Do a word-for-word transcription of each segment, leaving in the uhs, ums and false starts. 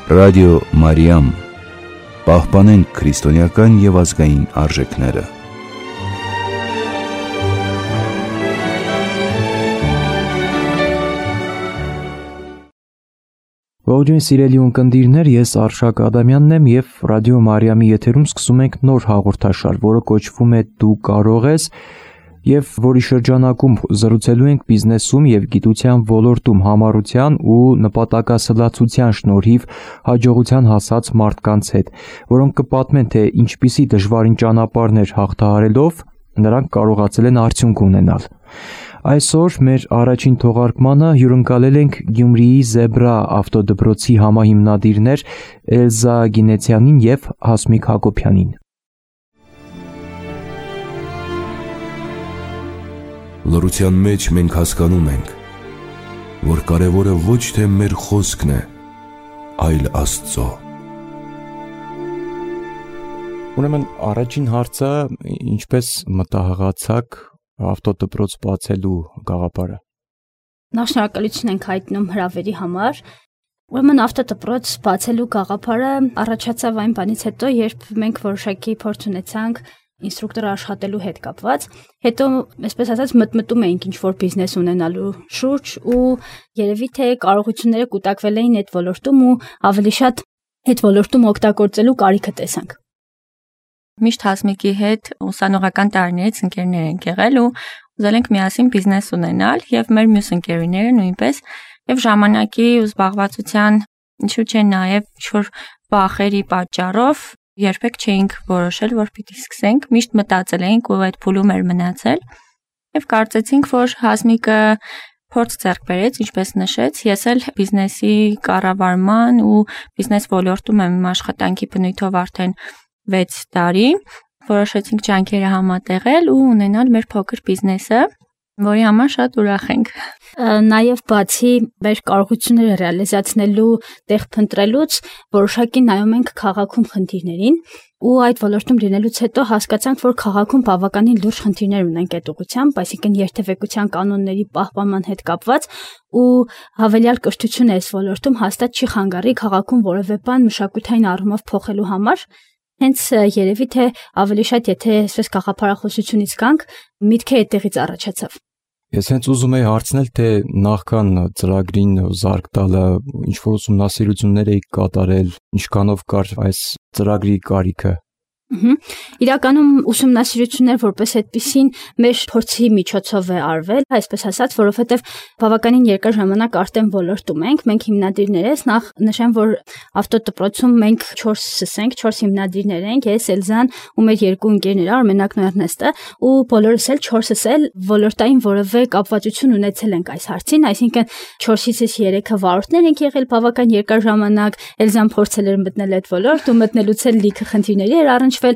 Ռադիո Մարիամ, պահպանենք քրիստոնեական և ազգային արժեքները։ Ողջույն սիրելի ունկնդիրներ, ես Արշակ Ադամյանն եմ և Ռադիո Մարիամի եթերում սկսում ենք նոր հաղորդաշար, որը կոչվում է «Դու կարող ես» և որի շրջանակում զրուցելու ենք բիզնեսում և գիտության ոլորտում համառության ու նպատակասլացության շնորհիվ հաջողության հասած մարդկանց հետ, որոնք կպատմեն, թե ինչպիսի դժվարին ճանապարհներ հաղթահարելով նրանք կարողացել են արդյունք ունենալ։ Այսօր մեր առաջին թողարկմանը հյուրընկալել ենք Գյումրիի Զեբրա ավտոդպրոցի համահիմնադիրներ Էլզա Գինեցյանին և Հասմիկ Հակոբյանին։ Լռության մեջ մենք հասկանում ենք, որ կարևորը ոչ թե մեր խոսքն է, այլ Աստծո։ Ուրեմն առաջին հարցը, ինչպես մտահղացաք ավտոդպրոց բացելու գաղափարը։ Նախ շնորհակալություն ենք հայտնում հրավերի համար։ Ուրեմն ավտոդպրոց բացելու գաղափարը առաջացավ այն բանից հետո, երբ մենք որոշակի փորձ ունեցանք ինստրուկտոր աշխատելու հետ կապված, հետո, այսպես ասած, մտմտում էինք ինչ-որ բիզնես ունենալու շուրջ ու երևի թե կարողությունները կուտակվել էին այդ ոլորտում ու ավելի շատ այդ ոլորտում օգտագործելու կարիքը տեսանք։ Միշտ Հասմիկի հետ ուսանողական տարիներից ընկերներ ենք եղել ու ուզել ենք միասին բիզնես ունենալ և մեր մյուս ընկերուները նույնպես և ժամանակի ու զբաղվածության ինչու՞ չէ նաև ինչ-որ վախերի պատճառով երբեք չէինք որոշել, որ պիտի սկսենք, միշտ մտածել էինք ու այդ փուլում էր մնացել և կարծեցինք, որ Հասմիկը փորձ ձեռք բերեց, ինչպես նշեց, ես էլ բիզնեսի կառավարման ու բիզնես ոլորտում եմ իմ աշխատանքի բնույթով արդեն վեց տարի, որոշեցինք ջանքերը համատեղել ու ունենալ մեր փոքր բիզնեսը, որի համար շատ ուրախ ենք։ Նաև բացի մեր կարողությունները ռեալիզացնելու տեղ փնտրելուց, որոշակի նայում ենք քաղաքում խնդիրներին ու այդ ոլորտում լինելուց հետո հասկացանք, որ քաղաքում բավականին լուրջ խնդիրներ ունենք այդ ուղղությամբ, այսինքն երթևեկության կանոնների պահպանման հետ կապված ու հավելյալ կրթություն է այս ոլորտում հաստատ չի խանգարի քաղաքում որևէ բան մշակութային առումով փոխելու համար։ Հենց երևի թե ավելի շատ եթե այսպես գաղափարախոսությունից գանք, միտքը այդտեղից առաջացավ։ Ես հենց ուզում եի հարցնել, թե նախքան ծրագրին զարկ տալը ինչ-որ ուսումնասիրություններ եք կատարել, ինչքանով կար այս ծրագրի կարիքը։ Իրականում ուսումնասիրություններ որպես այդպիսին մեր փորձի միջոցով է արվել, այսպես ասած, որովհետև բավականին երկար ժամանակ արդեն ոլորտում ենք, մենք հիմնադիրներ ենք, նախ նշեմ, որ ավտոդպրոցում մենք չորսս ենք, չորս հիմնադիրներ ենք, ես, Էլզան ու մեր երկու ընկերները, Արմենակն ու Էրնեստը, ու բոլորս էլ չորսս էլ ոլորտային որևէ կապվածություն ունեցել ենք այս հարցին, այսինքն չորսից երեքը վարորդներ ենք եղել բավական երկար ժամանակ, Էլզան փորձել էր մտնել այդ ոլորտ ու մտնելուց էլ լիքը խնդիրների էր առնչվել,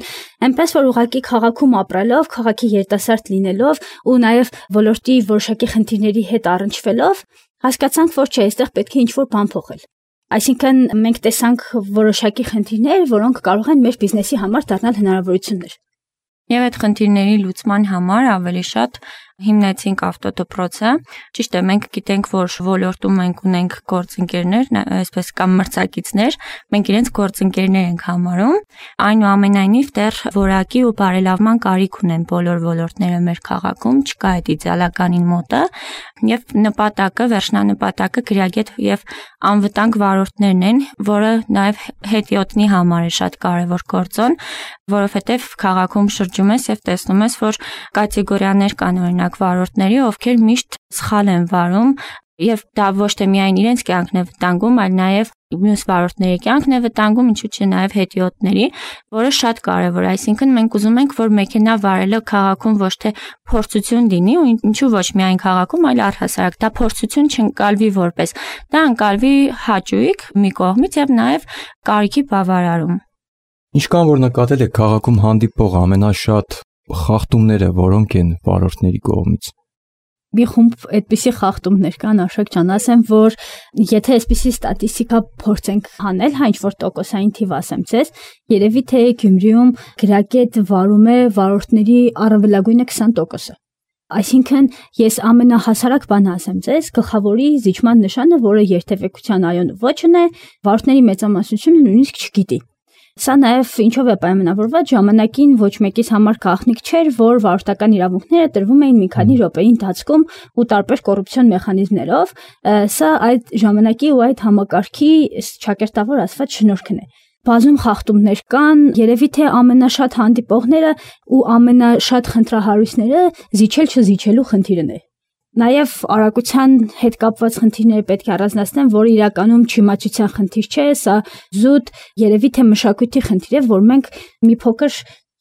այնպես որ ուղղակի քաղաքում ապրելով, քաղաքի երիտասարդ լինելով ու նաև ոլորտի որոշակի խնդիրների հետ առնչվելով, հասկացանք, որ չէ, այստեղ պետք է ինչ-որ բան փոխել։ Այսինքն մենք տեսանք որոշակի խնդիրներ, որոնք կարող են մեր բիզնեսի համար դառնալ հնարավորություններ։ Եվ այդ խնդիրների լուծման համար ավելի շատ հիմնեցինք ավտոդպրոցը։ Ճիշտ է, մենք գիտենք, որ ոլորտում մենք ունենք գործընկերներ, այսպես կամ մրցակիցներ, մենք իրենց գործընկերներ ենք համարում։ Այնուամենայնիվ դեռ որակի ու բարելավման կարիք ունեն բոլոր ոլորտները մեր քաղաքում, չկա այդ իդեալականին մոտը, եւ նպատակը, վերջնանպատակը գրագետ եւ անվտանգ վարորդներն են, որը նաեւ հետիոտնի համար է շատ կարեւոր գործոն, որովհետեւ քաղաքում շրջում ես եւ տեսնում ես, որ կատեգորիաներ կան օրինակ վարորդների, ովքեր միշտ սխալ են վարում եւ դա ոչ թե միայն իրենց կյանքն է վտանգում, այլ նաեւ մյուս վարորդների կյանքն է վտանգում, ինչու՞ չէ նաեւ հետիոտների, որը շատ կարեւոր է, այսինքն մենք ուզում ենք, որ մեքենա վարելը քաղաքում ոչ թե փորձություն լինի ու ինչու ոչ միայն քաղաքում, այլ առհասարակ դա փորձություն չընկալվի որպես, դա ընկալվի հաճույք մի կողմից եւ նաեւ կարիքի բավարարում։ Ինչքան որ նկատել եք քաղաքում հանդիպող ամենաշատ խախտումները որոնք են վարորդների կողմից։ Մի խումբ այդպիսի խախտումներ կան, Արշակ ջան, ասեմ, որ եթե այսպիսի ստատիստիկա փորձենք հանել, հա ինչ-որ տոկոսային թիվ ասեմ ձեզ, երևի թե Գյումրիում գրագետ վարում է վարորդների առավելագույնը քսան տոկոսը։ Այսինքն ես ամենահասարակ բանը ասեմ ձեզ, գլխավորի զիջման նշանը, որը երթևեկության այոն ոչն է, վարորդների մեծամասնությունը նույնիսկ չգիտի։ Սա նաև ինչով է պայմանավորված, ժամանակին ոչ մեկից համար գաղտնիք չէր, որ վարորդական իրավունքները տրվում էին մի քանի րոպեի ընթացքում ու տարբեր կոռուպցիոն մեխանիզմներով։ Սա այդ ժամանակի ու այդ համակարգի ճակերտավոր ասված շնորհքն է։ Բազում խախտումներ կան, երևի թե ամենաշատ հանդիպողները ու ամենաշատ խնդրահարույցները զիջել չզիջելու խնդիրն է։ Նաև արագության հետ կապված խնդիրները պետք է առանձնացնեմ, որ իրականում չիմացության խնդիր չէ, սա զուտ երևի թե մշակույթի խնդիր է, որ մենք մի փոքր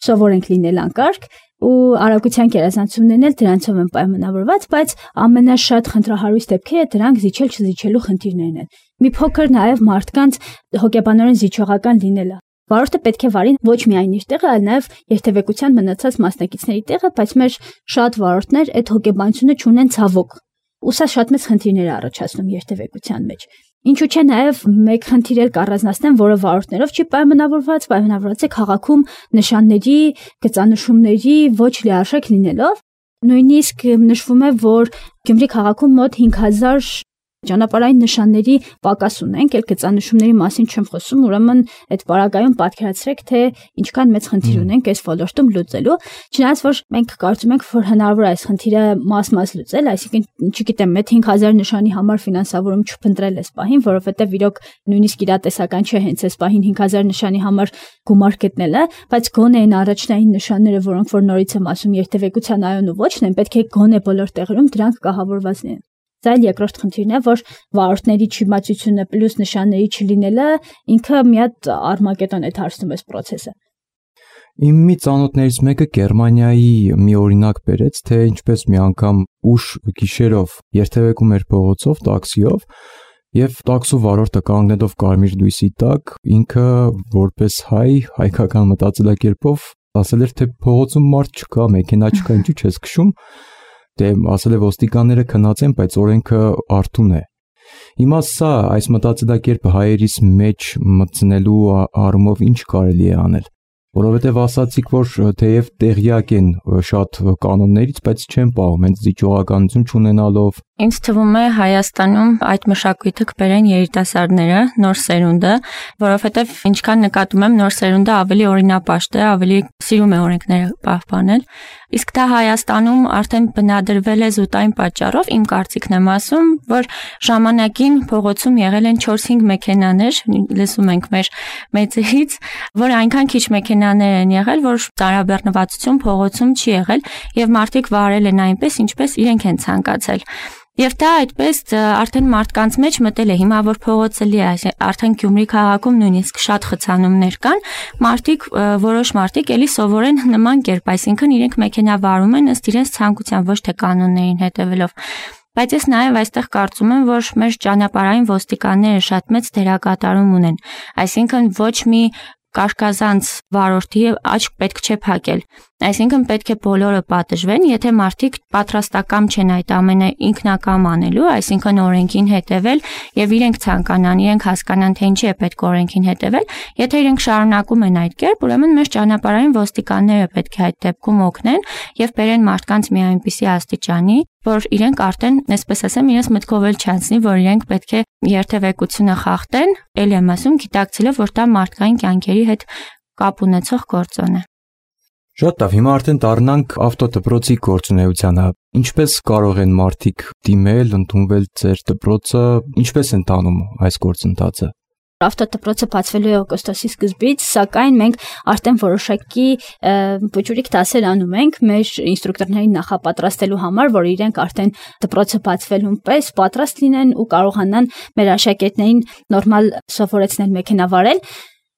սովոր ենք լինել անկարգ ու արագության գերազանցումներն էլ դրանցով են պայմանավորված, բայց ամենաշատ խնդրահարույց դեպքերը դրանք զիջել չզիջելու խնդիրներն են։ Մի փոքր նաև մարդկանց հոգեբանորեն զիջողական լինելը։ Վարորդը պետք է վարի ոչ միայն իր տեղը, այլ նաև երթևեկության մնացած մասնակիցների տեղը, բայց մեր շատ վարորդներ այդ հոգեբանությունը չունեն ցավոք։ Ու սա շատ մեծ խնդիրներ է առաջացնում երթևեկության մեջ։ Ինչու՞ չէ նաև մեկ խնդիր էլ կառանձնացնեմ, որը վարորդներով չի պայմանավորված, պայմանավորված է քաղաքում նշանների, գծանշումների ոչ լիարժեք լինելով։ Նույնիսկ նշվում է, որ Գյումրի քաղաքում մոտ հինգ հազար ճանապարհային նշանների պակաս ունենք, այլ գծանշումների մասին չեմ խոսում, ուրեմն այդ պարագայում պատկերացրեք, թե ինչքան մեծ խնդիր ունենք այս ոլորտում լուծելու, չնայած որ մենք կարծում ենք, որ հնարավոր է այս խնդիրը մաս-մաս լուծել, այսինքն չգիտեմ, այդ հինգ հազար նշանի համար ֆինանսավորում չփնտրել այս պահին, որովհետև իրոք նույնիսկ իրատեսական չէ հենց այս պահին հինգ հազար նշանի համար գումար գտնելը, բայց գոնե այն առաջնային նշանները, որոնք որ նորից եմ ասում, երթևեկության այոն ու ոչն են, պետք է գոնե բոլոր տեղերում դրանք կահավորված լինեն։ Դա էլ երկրորդ խնդիրն է, որ վարորդների չիմացությունը պլյուս նշանների չլինելը ինքը մի հատ արմագետոն է դարձնում այս process-ը։ Իմ մի ծանոթներից մեկը Գերմանիայի մի օրինակ բերեց, թե ինչպես մի անգամ ուշ գիշերով երթևեկում էր փողոցով, տաքսիով, եւ տաքսու վարորդը կանգնելով կարմիր լույսի տակ, ինքը որպես հայ, հայկական մտածելակերպով ասել էր, թե փողոցում մարդ չկա, մեքենա չկա, ինչու՞ չես քշում։ Դե ասել է ոստիկանները քնած են, բայց օրենքը արթուն է։ Հիմա սա այս մտածելակերպը հայերիս մեջ մտցնելու առումով ինչ կարելի է անել, որովհետև ասացիք, որ թեև տեղյակ են շատ կանոններից, բայց չեն պահում, հենց զիջողականություն չունենալով։ Ինձ թվում է Հայաստանում այդ մշակույթը կբերեն երիտասարդները, նոր սերունդը, որովհետև ինչքան նկատում եմ, նոր սերունդը ավելի օրինապաշտ է, ավելի սիրում է օրենքները պահպանել։ Իսկ դա Հայաստանում արդեն բնադրվել է զուտ այն պատճառով, իմ կարծիքն եմ ասում, որ ժամանակին փողոցում եղել են չորս-հինգ մեքենաներ, լսում ենք մեր մեծերից, որ այնքան քիչ մեքենաներ են եղել, որ ծանրաբեռնվածություն փողոցում չի եղել եւ մարդիկ վարել են այնպես, ինչպես իրենք են ցանկացել։ Եվ դա այդպես արդեն մարդկանց մեջ մտել է, հիմա որ փողոցը լի է, արդեն Գյումրի քաղաքում նույնիսկ շատ խցանումներ կան, մարդիկ, որոշ մարդիկ էլի սովորեն նման կերպ, այսինքն իրենք մեքենա վարում են ըստ իրենց ցանկության, ոչ թե կանոններին հետևելով։ Բայց ես նաև այստեղ կարծում եմ, որ մեր ճանապարհային ոստիկանները շատ մեծ դերակատարում ունեն, այսինքն ոչ մի կարկազանց վարորդի աչք պետք չէ փակել։ Այսինքն պետք է բոլորը պատժվեն, եթե մարդիկ պատրաստակամ չեն այդ ամենը ինքնակամ անելու, այսինքն օրենքին հետևել եւ իրենք ցանկանան, իրենք հասկանան, թե ինչի է պետք օրենքին հետևել, եթե իրենք շարունակում են այդ կերպ, ուրեմն մեր ճանապարհային ոստիկանները պետք է այդ դեպքում օգնեն եւ բերեն մարդկանց մի այնպիսի աստիճանի, որ իրենք արդեն, այսպես ասեմ, իրենց մտքով էլ չանցնի, որ իրենք պետք է երթևեկությունը խախտեն, ել եմ ասում, գիտակցելով, որ դա մարդկային կյանքերի հետ կապ ունեցող գործոն է։ Շատ լավ, հիմա արդեն դառնանք ավտոդպրոցի գործունեությանը։ Ինչպես կարող են մարդիկ դիմել, ընդունվել ձեր դպրոցը, ինչպես են տանում այս գործընթացը։ Ավտոդպրոցը բացվելու է օգոստոսի սկզբից, սակայն մենք արդեն որոշակի վճռիկ դասեր անում ենք մեր ինստրուկտորներին նախապատրաստելու համար, որ իրենք արդեն դպրոցը բացվելուն պես պատրաստ լինեն ու կարողանան մեր աշակերտներին նորմալ սովորեցնել մեքենա վարել։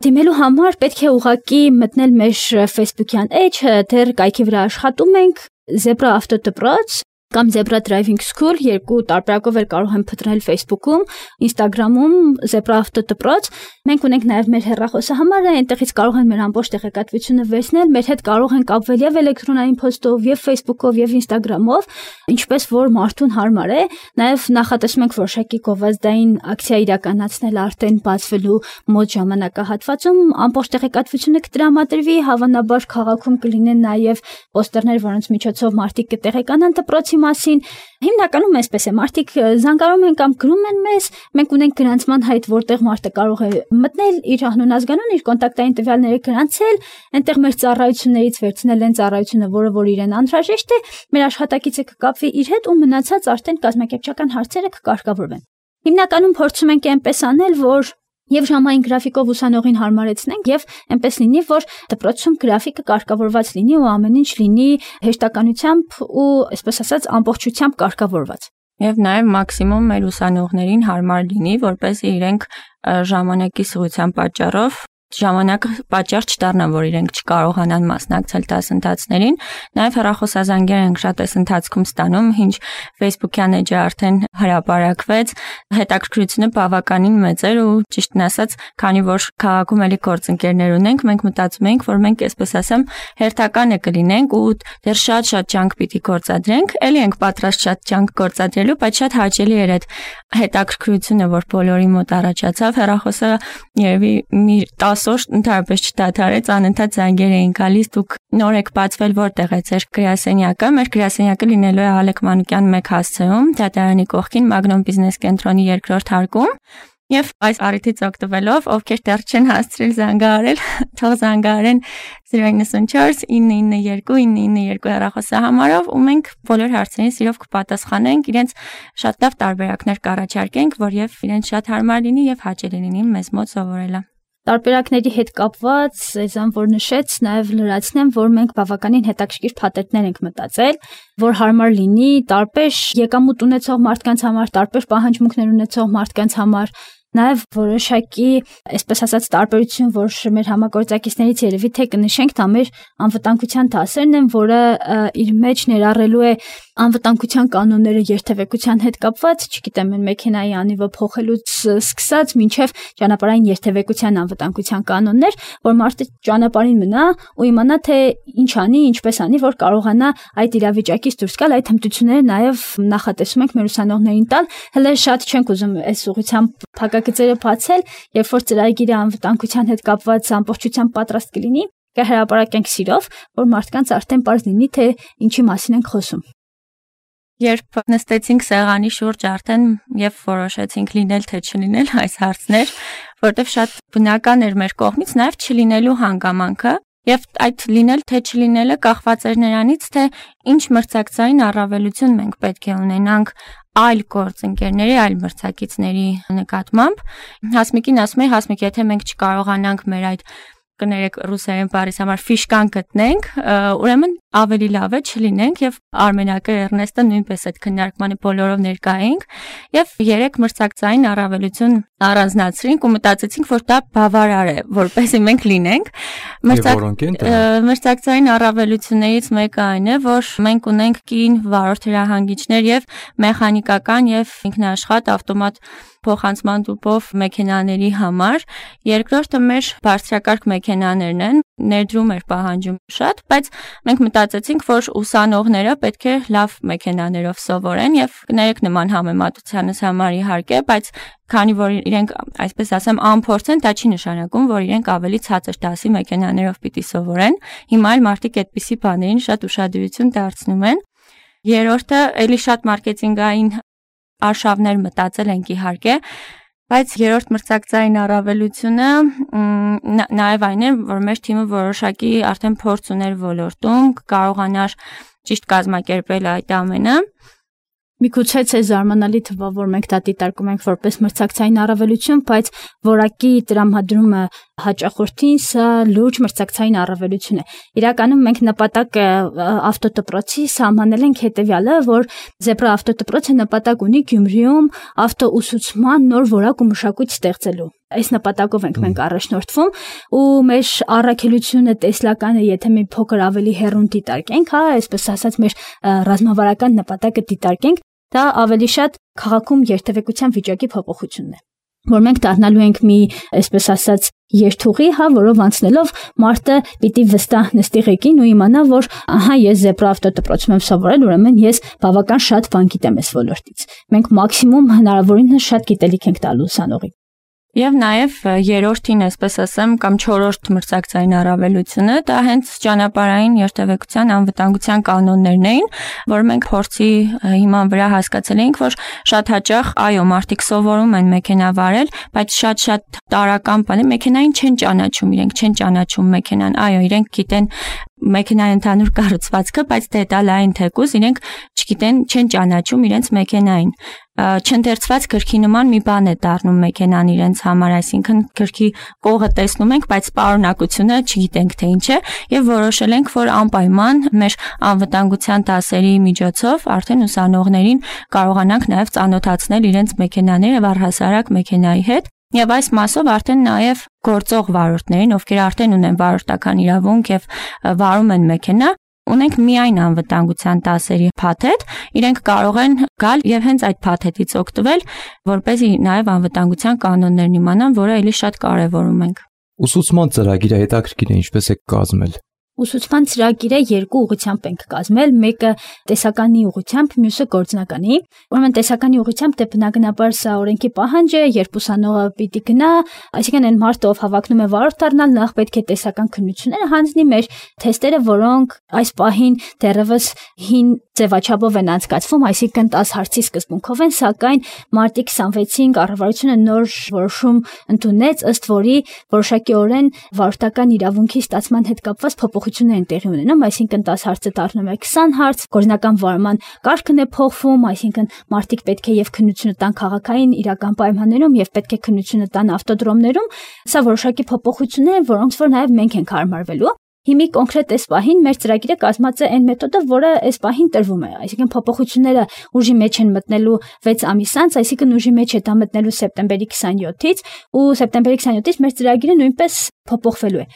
Դիմելու համար պետք է ուղղակի մտնել մեր Facebook-յան էջ, դեռ կայքի վրա աշխատում ենք, Zebra ավտոդպրոց, կամ Zebra Driving School, երկու տարբերակով էլ կարող են փնտրել Facebook-ում, Instagram-ում, Zebra Auto դպրոց։ Մենք ունենք նաև մեր հեռախոսահամարը, այնտեղից կարող են մեր ամբողջ տեղեկատվությունը վերցնել, մեր հետ կարող են կապվել եւ էլեկտրոնային փոստով, եւ Facebook-ով, եւ Instagram-ով, ինչպես որ մարդուն հարմար է։ Նաև նախատեսում ենք որոշակի գովազդային ակցիա իրականացնել արդեն բացվելու մոտ ժամանակահատվածում, ամբողջ տեղեկատվությունը կտրամադրվի, հավանաբար քաղաքում կլինեն նաև պոստերներ, որոնց միջոցով մարդիկ կտեղեկանան դպրոցի մասին։ Հիմնականում այսպես է, մարդիկ զանգարում են կամ գրում են մեզ, մենք ունենք գրանցման հայտ, որտեղ մարդը կարող է մտնել իր անուն ազգանուն, իր կոնտակտային տվյալները գրանցել, այնտեղ մեր ծառայություններից վերցնել են ծառայությունը, որը որ իրեն անհրաժեշտ է, մեր աշխատակիցը կկապվի իր հետ ու մնացած արդեն կազմակերպչական հարցերը կկարգավորվեն։ Հիմնականում փորձում ենք այնպես անել, որ եւ ժամային գրաֆիկով ուսանողին հարմարեցնենք եւ այնպես լինի, որ դպրոցում գրաֆիկը կարգավորված լինի ու ամեն ինչ լինի հեշտականությամբ ու, այսպես ասած, ամբողջությամբ կարգավորված։ Եվ նաև մաքսիմում մեր ուսանողներին հարմար լինի, որպեսզի իրենք ժամանակի սղության պատճառով ժամանակը պատճառ չդառնա, որ իրենք չկարողանան մասնակցել դասընթացներին։ Նաև հեռախոսազանգեր ենք շատ այս ընթացքում ստանում, ինչ Facebook-յան էջը արդեն հրապարակվեց, հետաքրքրությունը բավականին մեծ էր ու ճիշտն ասած, քանի որ քաղաքում էլի գործընկերներ ունենք, մենք մտածում ենք, որ մենք այսպես ասեմ հերթականը կլինենք ու դեռ շատ-շատ ջանք պիտի գործադրենք, էլի ենք պատրաստ շատ ջանք գործադրելու, բայց շատ հաճելի էր այդ հետաքրքրությունը, որ բոլորի մոտ առաջացավ, հեռախոսը երևի մի օր ընդհանրապես չդադարեց, անընդհատ զանգեր էին գալիս, դուք նոր եք բացվել, որտեղ է ձեր գրասենյակը։ Մեր գրասենյակը լինելու է Ալեք Մանուկյան մեկ հասցեում, դատարանի կողքին Magnum Business կենտրոնի երկրորդ հարկում։ Եվ այս առիթից օգտվելով, ովքեր դեռ չեն հասցրել զանգահարել, թող զանգահարեն zero nine four nine nine two nine nine two հեռախոսահամարով ու մենք բոլոր հարցերին սիրով կպատասխանենք, իրենց շատ լավ տարբերակներ կառաջարկենք, որ եւ իրենց շատ հարմար լինի եւ հաճելի լինի մեզ մոտ սովորելը։ Տարբերակների հետ կապված, այզան որ նշեց, նաև լրացնեմ, որ մենք բավականին հետաքրքիր փաթեթներ ենք մտածել, որ հարմար լինի տարբեր եկամուտ ունեցող մարդկանց համար, տարբեր պահանջմունքներ ունեցող մարդկանց համար, նաև որոշակի, այսպես ասած, տարբերություն, որ մեր համագործակիցներից երևի թե կնշենք, դա մեր անվտանգության դասերն են, որը իր մեջ ներառելու է անվտանգության կանոնները երթևեկության հետ կապված, չգիտեմ, մեր մեքենայի անիվը փոխելուց սկսած մինչև ճանապարհային երթևեկության անվտանգության կանոններ, որ մարդը ճանապարհին մնա ու իմանա թե ինչ անի, ինչպես անի, որ կարողանա այդ իրավիճակից դուրս գալ, այդ հմտությունները նաև նախատեսում ենք մեր ուսանողներին տալ, հələ շատ չենք ուզում այս ուղղությամբ փակագծերը բացել, երբ որ ծրագիրը անվտանգության հետ կապված ամբողջությամբ պատրաստ կլինի, կհրապարակենք սիրով, որ մարդկանց արդեն պարզ լինի, թե ինչի մասին ենք խոսում։ Երբ նստեցինք սեղանի շուրջ արդեն եւ որոշեցինք լինել թե չլինել այս հարցներ, որտեվ շատ բնական էր մեր կողմից նաեւ չլինելու հանգամանքը եւ այդ լինել թե չլինելը կախված էր նրանից, թե ինչ մրցակցային առավելություն մենք պետք է ունենանք այլ գործընկերների, այլ մրցակիցների նկատմամբ։ Հասմիկին ասում է, Հասմիկ, եթե մենք չկարողանանք մեր այդ կներեք ռուսերեն բառից համար ֆիշկան գտնենք, ուրեմն ավելի լավ է չլինենք եւ Արմենակը Էրնեստը նույնպես այդ քննարկմանը բոլորով ներկա էինք եւ երեք մրցակցային առավելություն առանձնացրինք ու մտածեցինք, որ դա բավարար է, որպեսզի մենք լինենք։ Մրցակցային առավելություններից մեկը այն է, որ մենք ունենք կին վարորդ հրահանգիչներ եւ մեխանիկական եւ ինքնաշխատ ավտոմատ փոխանցման տուփով մեքենաների համար, երկրորդը մեր բարձրակարգ մեքենաներն են, ներդրում էր պահանջում շատ, բայց մենք մտածեցինք, որ ուսանողները պետք է լավ մեքենաներով սովորեն եւ կներեք նման համեմատությանս համար իհարկե, բայց քանի որ իրենք, այսպես ասեմ, անփորձ են, դա չի նշանակում, որ իրենք ավելի ցածր դասի մեքենաներով պիտի սովորեն։ Հիմա էլ մարդիկ այդպիսի բաներին շատ ուշադրություն դարձնում են։ Երրորդը էլի շատ մարքեթինգային արշավներ մտածել ենք իհարկե, բայց երրորդ մրցակցային առավելությունը նաև այն է, որ մեր թիմը որոշակի արդեն փորձ ուներ ոլորտում, կարողանար ճիշտ կազմակերպել այդ ամենը։ Միգուցե չէ զարմանալի թվա, որ մենք դա դիտարկում ենք որպես մրցակցային առավելություն, բայց որակի տրամադրումը հաճախորդին սա լուրջ մրցակցային առավելություն է։ Իրականում մենք նպատակը ավտոդպրոցի սահմանել ենք հետևյալը, որ Zebra ավտոդպրոցը նպատակ ունի Գյումրիում ավտոուսուցման նոր որակ ու մշակույթ ստեղծելու։ այս նպատակով ենք մենք առաջնորդվում ու մեր առաքելությունը տեսլականը, եթե մի փոքր ավելի հեռուն դիտարկենք, հա, այսպես ասած մեր ռազմավարական նպատակը դիտարկենք, դա ավելի շատ քաղաքում երթևեկության վիճակի փոփոխությունն է, որ մենք դառնալու ենք մի, այսպես ասած, երթուղի, հա, որով անցնելով մարդը պիտի վստահ նստի ղեկին ու իմանա, որ ահա ես զեբրա ավտոդպրոցում եմ սովորել, ուրեմն ես բավական շատ բան գիտեմ այս ոլորտից։ Մենք մաքսիմում հնարավորինս շատ գիտելիք ենք տալու ուսանողին։ Եվ նաև երրորդին, այսպես ասեմ, կամ չորրորդ մրցակցային առավելությունը դա հենց ճանապարհային երթևեկության անվտանգության կանոններն էին, որ մենք փորձի հիման վրա հասկացել էինք, որ շատ հաճախ, այո, մարդիկ սովորում են մեքենա վարել, բայց շատ-շատ տարրական բան է, մեքենային չեն ճանաչում, իրենք չեն ճանաչում մեքենան, այո, իրենք գիտեն մեքենայի ընդհանուր կառուցվածքը, բայց դետալային թեկուզ իրենք չգիտեն, չեն ճանաչում իրենց մեքենային։ Չընթերցված գրքի նման մի բան է դառնում մեքենան իրենց համար, այսինքն գրքի կողը տեսնում ենք, բայց պարունակությունը չգիտենք թե ինչ է, եւ որոշել ենք, որ անպայման մեր անվտանգության դասերի միջոցով արդեն ուսանողներին կարողանանք նաեւ ծանոթացնել իրենց մեքենաները եւ առհասարակ մեքենայի հետ։ Եվ այս մասով արդեն նաև գործող վարորդներին, ովքեր արդեն ունեն վարորդական իրավունք եւ վարում են մեքենա, ունենք միայն անվտանգության դասերի փաթեթ, իրենք կարող են գալ եւ հենց այդ փաթեթից օգտվել, որպեսզի նաև անվտանգության կանոններն իմանան, որը էլի շատ կարեւորում ենք։ Ուսուցման ծրագիրը հետաքրքիր է, ինչպես է կազմել։ Ուսուցման ծրագիրը երկու ուղղությամբ ենք կազմել, մեկը տեսականի ուղղությամբ, մյուսը գործնականի։ Ուրեմն տեսականի ուղղությամբ դե բնականաբար սա օրենքի պահանջ է, երբ ուսանողը պիտի գնա, այսինքն այն մարդը, ով հավակնում է վարորդ դառնալ, նախ պետք է տեսական քննությունները հանձնի մեր թեստերը, որոնք այս պահին դեռևս հին ձևաչափով են անցկացվում, այսինքն տասը հարցի սկզբունքով են, սակայն մարտի քսանվեցին կառավարությունը նոր որոշում ընդունեց, ըստ որի որոշակիորեն վարորդական իրավունքի ստացման հետ կապված փոփոխություններ են տեղի ունենում, այսինքն տասը հարցը դառնում է քսան հարց, գործնական վարման կարգն է փոխվում, այսինքն մարտիկ պետք է եւ քննությունը տան քաղաքային իրական պայմաններում եւ պետք է քննությունը տան ավտոդրոմներում, սա որոշակի փոփոխություններ են, որոնց որ նաեւ մենք ենք հարմարվելու։ Հիմի կոնկրետ այս պահին մեր ծրագիրը կազմած է այն մեթոդով, որը այս պահին տրվում է, այսինքն փոփոխությունները ուժի մեջ են մտնելու վեց ամիս անց, այսինքն ուժի մեջ է դա մտնելու սեպտեմբերի քսանյոթից ու սեպտեմբերի քսանյոթից մեր ծրագիրը նույնպես փոփոխվելու է։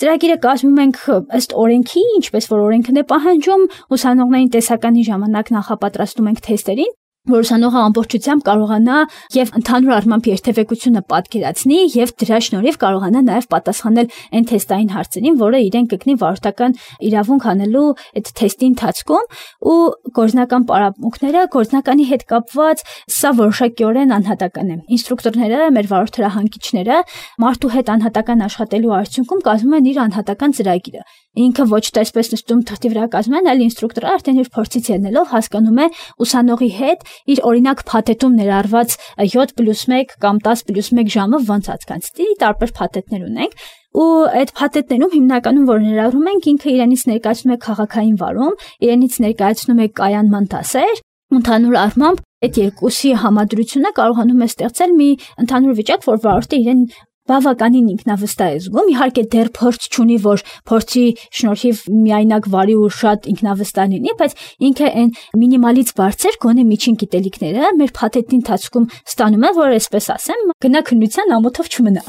Ծրագիրը կազմում ենք ըստ օրենքի, ինչպես որ օրենքն է պահանջում, ուսանողներին տեսականի ժամանակ նախապատրաստում ենք թեստերին, որ ուսանողը ամբողջությամբ կարողանա եւ ընդհանուր առմամբ երթևեկությունը պատկերացնի եւ դրա շնորհիվ կարողանա նաեւ պատասխանել այն թեստային հարցերին, որը իրեն կգնի վարորդական իրավունք անելու այդ թեստի ընթացքում ու գործնական պարապմունքները գործնականի հետ կապված սա որոշակիորեն անհատական է։ Ինստրուկտորները, մեր վարորդ հրահանգիչները մարդու հետ անհատական աշխատելու արդյունքում կազմում են իր անհատական ծրագիրը։ Ինքը ոչ թե այսպես նստում թղթի վրա կազմում են, այլ ինստրուկտորը արդեն իր փորձից ելնելով հասկանում է ուսանողի հետ իր օրինակ փաթեթում ներառված յոթ պլյուս մեկ կամ տասը պլյուս մեկ ժամը ոնց անցկացնի, տարբեր փաթեթներ ունենք ու այդ փաթեթներում հիմնականում որ ներառում ենք ինքը իրենից ներկայացնում է քաղաքային վարում, իրենից ներկայացնում է կայանման դասեր, ընդհանուր առմամբ այդ երկուսի համադրությունը կարողանում է ստեղծել մի ընդհանուր վիճակ, որ վարորդը իրեն բավականին ինքնավստահ է զգում, իհարկե դեռ փորձ չունի, որ փորձի շնորհիվ միայնակ վարի ու շատ ինքնավստահ լինի, բայց ինքը այն մինիմալից բարձր գոնե միջին գիտելիքները մեր փաթեթի ընթացքում ստանում է, որ այսպես ասեմ, գնահքնության ամոթով չմնա։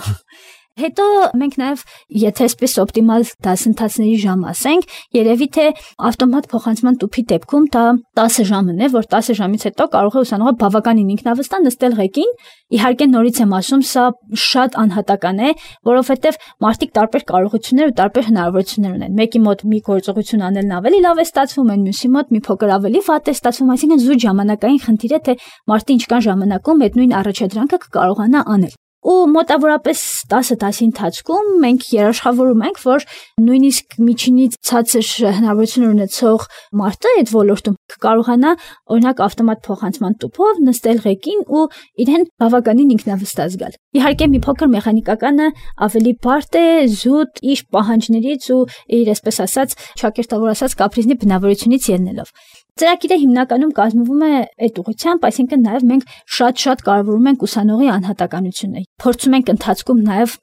Հետո մենք նաև եթե այսպես օպտիմալ դասընթացների ժամ ասենք, երևի թե ավտոմատ փոխանցման տուփի դեպքում դա տասը ժամն է, որ տասը ժամից հետո կարող է ուսանողը բավականին ինքնավստահ նստել ղեկին։ Իհարկե նորից եմ ասում, սա շատ անհատական է, որովհետև մարդիկ տարբեր կարողություններ ու տարբեր հնարավորություններ ունեն։ Մեկի մոտ մի գործողություն անելն ավելի լավ է ստացվում, այն մյուսի մոտ մի փոքր ավելի վատ է ստացվում, այսինքն զուտ ժամանակային խնդիր է, թե մարդը ինչքան ժամանակում այդ նույն առաջադրանքը կկարողանա անել։ Ու մոտավորապես տասը դասի ընթացքում մենք երաշխավորում ենք, որ նույնիսկ միջինից ցածր հնարավորություն ունեցող մարդը այդ ոլորտում կարողանա օրինակ ավտոմատ փոխանցման տուփով նստել ղեկին ու իրեն բավականին ինքնավստահ զգալ։ Իհարկե մի փոքր մեխանիկականը ավելի բարդ է, զուտ իր պահանջներից ու իր այսպես ասած, շակերտավոր ասած կապրիզնի բնավորությունից ելնելով։ Ծրագիրը հիմնականում կազմվում է այդ ուղղությամբ, այսինքն նաև մենք շատ-շատ կարևորում ենք ուսանողի անհատականությունը։ Փորձում ենք ընթացքում նաև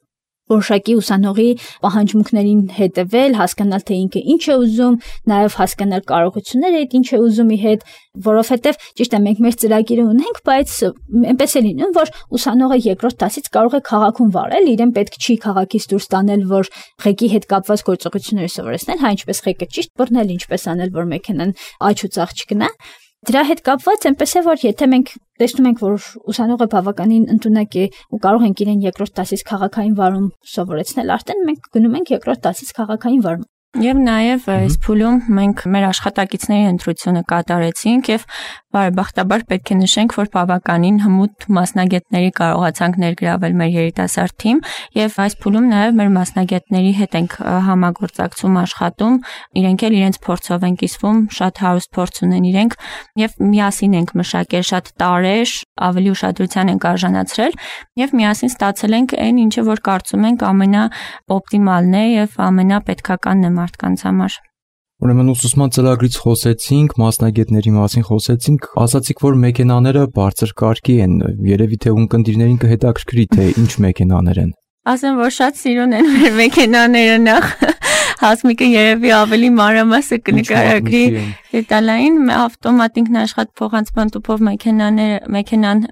որոշակի ուսանողի պահանջմունքներին հետևել, հասկանալ թե ինքը ինչ է ուզում, նաև հասկանալ կարողությունները, այդ ինչ է ուզում ի հետ, որովհետև ճիշտ է մենք մեր ծրագիրը ունենք, բայց այնպես է լինում, որ ուսանողը երկրորդ դասից կարող է քաղաքում վարել, իրեն պետք չի քաղաքից դուրս տանել, որ ղեկի հետ կապված գործողությունները սովորեցնել, հա ինչպես ղեկը ճիշտ բռնել, ինչպես անել, որ մեքենան աջ ու ցախ չգնա։ Դրա հետ կապված այնպես է, որ եթե մենք տեսնում ենք, որ ուսանողը բավականին ընդունակ է ու կարող ենք իրեն երկրորդ դասից քաղաքային վարում սովորեցնել, արդեն մենք գնում ենք երկրորդ դասից քաղաքային վարում։ Եվ նաև այս փուլում մենք մեր աշխատակիցների ընտրությունը կատարեցինք եւ բարեբախտաբար պետք է նշենք, որ բավականին հմուտ մասնագետների կարողացանք ներգրավել մեր երիտասարդ թիմ եւ այս փուլում նաև մեր մասնագետների հետ ենք համագործակցում աշխատում, իրենք էլ իրենց փորձով են կիսվում, շատ հարուստ փորձ ունեն իրենք եւ միասին ենք մշակել շատ տարեր, ավելի ուշադրության ենք արժանացրել եւ միասին ստացել ենք այն ինչը որ կարծում ենք ամենաօպտիմալն է եւ ամենապետքականն է մարդկանց համար։ Ուրեմն ուսուցման ծրագրից խոսեցինք, մասնագետների մասին խոսեցինք, ասացիք, որ մեքենաները բարձր կարգի են, երևի թե ունկնդիրներին կհետաքրքրի, թե ինչ մեքենաներ են։ Ասեմ, որ շատ սիրուն են մեր մեքենաները նախ, Հասմիկը երևի ավելի մանրամասը կնկարագրի դետալային, ավտոմատ ինքնաշխատ փոխանցման տուփով մեքենաները, մեքենան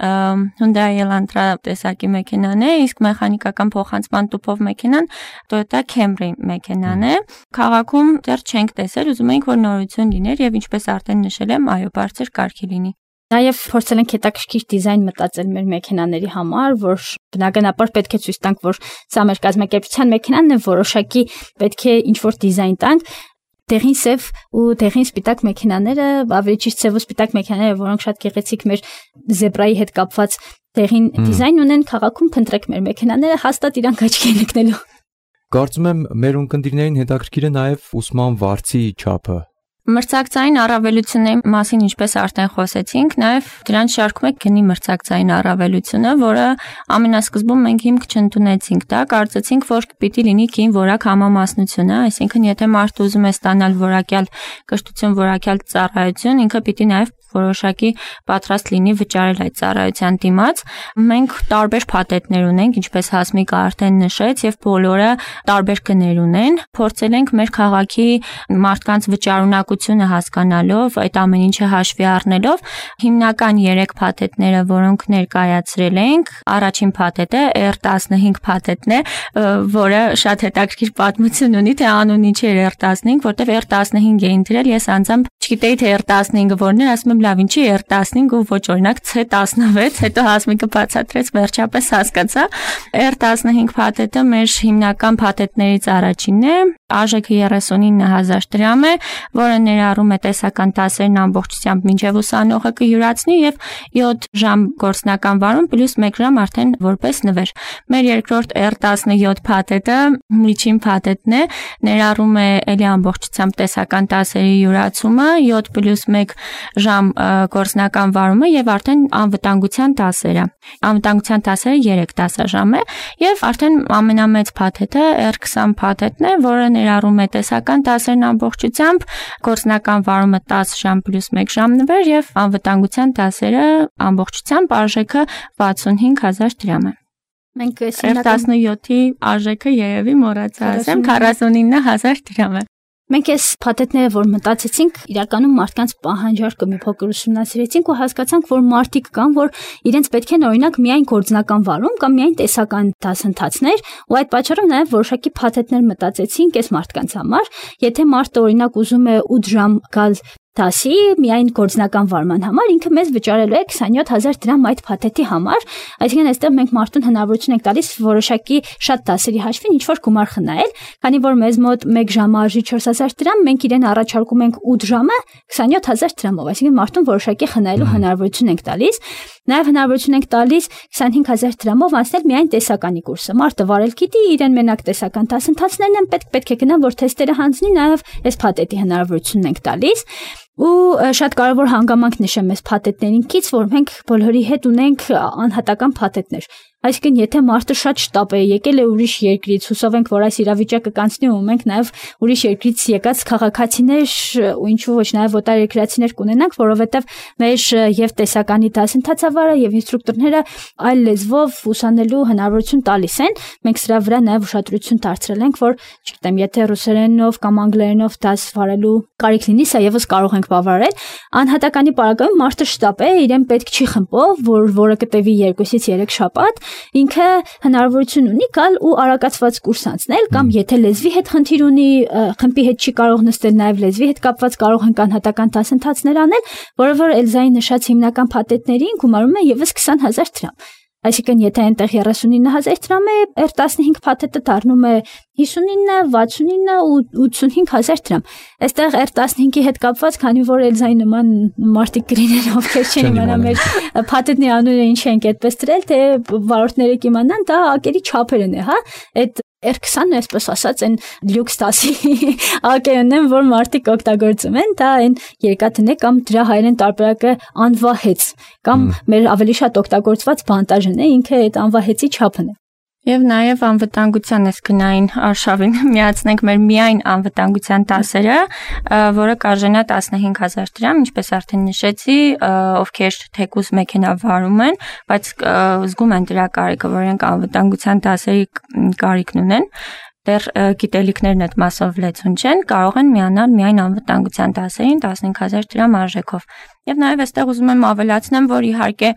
Hyundai Elantra տեսակի մեքենան է, իսկ մեխանիկական փոխանցման տուփով մեքենան Toyota Camry մեքենան է։ Քաղաքում դեռ չենք տեսել, ուզում ենք որ նորություն լիներ եւ ինչպես արդեն նշել եմ, այո, բարձր կարգի լինի։ Նաև փորձել ենք հետաքրքիր դիզայն մտածել մեր մեքենաների համար, որ բնականաբար պետք է ցույց տանք, որ սա մեր կազմակերպության մեքենան է, որոշակի պետք է ինչ-որ դիզայն տանք։ Դեղին սև ու դեղին սպիտակ մեքենաները, ավելի ճիշտ սև ու սպիտակ մեքենաները, որոնք շատ գեղեցիկ մեր զեբրայի հետ կապված դեղին դիզայն ունեն, քաղաքում փնտրեք մեր մեքենաները, հաստատ իրանք աչքի են ընկնելու։ Կարծում եմ մեր ունկնդիրներին հետաքրքիր է նաև ուսման վարձի չափը։ Մրցակցային առավելությունների մասին ինչպես արդեն խոսեցինք, նաև դրանց շարքում է գնի մրցակցային առավելությունը, որը ամենասկզբում մենք հիմք չընդունեցինք, դա կարծեցինք, որ պիտի լինի կին որակ համամասնությունը, այսինքն եթե մարդը ուզում է ստանալ որակյալ կրթություն, որակյալ ծառայություն, ինքը պիտի նաև որոշակի պատրաստ լինի վճարել այդ ծառայության դիմաց։ Մենք տարբեր փաթեթներ ունենք, ինչպես Հասմիկը արդեն նշեց, եւ բոլորը տարբեր գներ ունեն։ Փորձել ենք մեր քաղաքի մարդկանց վճարունակությունը հասկանալով, այդ ամեն ինչը հաշվի առնելով, հիմնական երեք փաթեթները, որոնք ներկայացրել ենք, առաջին փաթեթը R տասնհինգ փաթեթն է, որը շատ հետաքրքիր պատմություն ունի, թե անունը ինչ է R տասնհինգ, որտեղ R տասնհինգ էին դրել, ես անձամբ չգիտեի թե R տասնհինգը որն է, ասում եմ լավ ինչի R տասնհինգ ու ոչ օրինակ C տասնվեց, հետո Հասմիկը բացատրեց, վերջապես հասկացա։ R տասնհինգ փաթեթը մեր հիմնական փաթեթներից առաջինն է, արժեքը երեսունինը հազար դրամ է, որը ներառում է տեսական դասերն ամբողջությամբ մինչև ուսանողը կյուրացնի եւ յոթ ժամ գործնական վարում պլյուս մեկ ժամ արդեն որպես նվեր։ Մեր երկրորդ R տասնյոթ փաթեթը միջին փաթեթն է, ներառում է ելի ամբողջությամբ տեսական դասերի յուրացումը, յոթ պլյուս մեկ ժամ գործնական վարումը եւ արդեն անվտանգության դասերը։ Անվտանգության դասերը երեք դասաժամ է եւ արդեն ամենամեծ փաթեթը R քսան փաթեթն է, որը ներառում է տեսական դասերն ամբողջությամբ, գործնական վարումը տասը ժամ պլյուս մեկ ժամ նվեր եւ անվտանգության դասերը ամբողջությամբ արժեքը վաթսունհինգ հազար դրամ է։ Մենք R տասնյոթի արժեքը երևի մոռացա ասեմ քառասունինը հազար դրամ է։ Մենք այս փաթեթները, որ մտածեցինք, իրականում մարդկանց պահանջարկը մի փոքր ուսումնասիրեցինք ու հասկացանք, որ մարդիկ կան, որ իրենց պետք է օրինակ միայն գործնական վարում կամ միայն տեսական դասընթացներ, ու այդ պատճառով նաև որոշակի փաթեթներ մտածեցինք այս մարդկանց համար։ Եթե մարդը օրինակ ուզում է ութ ժամ գալ դասի միայն գործնական վարման համար, ինքը մեզ վճարելու է քսանյոթ հազար դրամ այդ փաթեթի համար, այսինքն այստեղ մենք մարդուն հնարավորություն ենք տալիս որոշակի շատ դասերի հաշվին ինչ-որ գումար խնայել, քանի որ մեզ մոտ մեկ ժամը արժի չորս հազար դրամ, մենք իրեն առաջարկում ենք ութ ժամը քսանյոթ հազար դրամով, այսինքն մարդուն որոշակի խնայելու հնարավորություն ենք տալիս, նաև հնարավորություն ենք տալիս քսանհինգ հազար դրամով անցնել միայն տեսականի կուրսը։ Մարդը վարել գիտի, իրեն մենակ տեսական դասընթացներն են պետք, պետք է գնա, որ թեստերը հանձնի, նաև այս փաթեթի հնարավորությունն ենք տալիս։ Ու շատ կարևոր հանգամանք նշեմ այս փաթեթներինքից, որ մենք բոլորի հետ ունենք անհատական փաթեթներ։ Այսինքն, եթե մարդը շատ շտապ է, եկել է ուրիշ երկրից, հուսով ենք, որ այս իրավիճակը կանցնի ու մենք նաև ուրիշ երկրից եկած քաղաքացիներ ու ինչու ոչ նաև օտարերկրացիներ կունենանք, որովհետև մեր եւ տեսականի դասընթացավարը եւ ինստրուկտորները այլ լեզվով ուսանելու հնարավորություն տալիս են։ Մենք սրա վրա նաև ուշադրություն դարձրել ենք, որ, չգիտեմ, եթե ռուսերենով կամ անգլերենով դաս վարելու կարիք լինի, սա եւս կարող ենք բավարարել։ Անհատականի պարագայում մարդը շտապ է, իրեն պետք չի խմբով, որ որը կտևի երկուսից երեք շաբաթ, ինքը հնարավորություն ունի գալ ու արագացված կուրս անցնել, կամ եթե լեզվի հետ խնդիր ունի, խմբի հետ չի կարող նստել, նաև լեզվի հետ կապված կարող են անհատական դասընթացներ անել, որը որ Էլզայի նշած հիմնական փաթեթներին գումարում է եւս քսան հազար դրամ։ Այսինքն, եթե այնտեղ երեսունինը հազար դրամ է, R տասնհինգ փաթեթը դառնում է հիսունինը, վաթսունինը ու ութսունհինգ հազար դրամ։ Այստեղ R տասնհինգի հետ կապված, քանի որ Էլզայի նման մարդիկ գրին են, ովքեր չեն իմանա մեր փաթեթի անունը ինչ ենք այդպես դրել, թե վարորդները կիմանան, դա ակերի չափերն է, հա։ Այդ R քսանը, այսպես ասած, այն լյուքս տասի ակերն են, որ մարդիկ օգտագործում են, դա այն երկաթն է կամ դրա հայերեն տարբերակը անվահեց, կամ մեր ավելի շատ օգտագործված բանտաժն է, ինքը այդ անվահեցի չափն է։ Եվ նաև անվտանգության էսքնային արշավին միացնենք մեր միայն անվտանգության դասերը, որը կարժենա տասնհինգ հազար դրամ, ինչպես արդեն նշեցի, ովքեր թեկուզ մեքենա վարում են, բայց զգում են դրա կարիքը, որ իրենք անվտանգության դասերի կարիքն ունեն, դեռ գիտելիքներն այդ մասով լեցուն չեն, կարող են միանալ միայն անվտանգության դասերին տասնհինգ հազար դրամ արժեքով։ Եվ նաև այստեղ ուզում եմ ավելացնեմ, որ իհարկե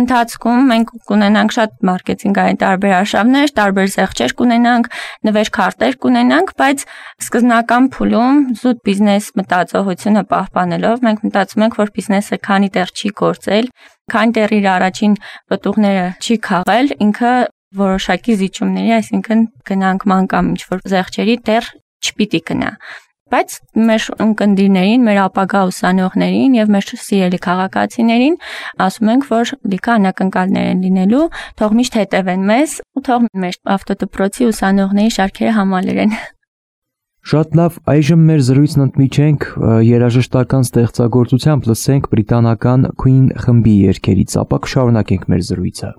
ընթացքում մենք կունենանք շատ մարքեթինգային տարբեր արշավներ, տարբեր զեղչեր կունենանք, նվեր-քարտեր կունենանք, բայց սկզբնական փուլում զուտ բիզնես մտածողությունը պահպանելով մենք մտածում ենք, որ բիզնեսը քանի դեռ չի գործել, քանի դեռ իր առաջին պտուղները չի քաղել, ինքը որոշակի զիջումների, այսինքն գնանկման կամ ինչ-որ զեղչերի դեռ չպիտի գնա։ Բայց մեր ունկնդիրներին, մեր ապագա ուսանողներին եւ մեր սիրելի քաղաքացիներին ասում ենք, որ լիքը անակնկալներ են լինելու, թող միշտ հետևեն մեզ ու թող մեր ավտոդպրոցի ուսանողների շարքերը համալրեն։ Շատ լավ, այժմ մեր զրույցն ընդմիջենք երաժշտական ստեղծագործությամբ լսենք բրիտանական Queen խմբի երգերից, ապա կշարունակենք մեր զրույցը։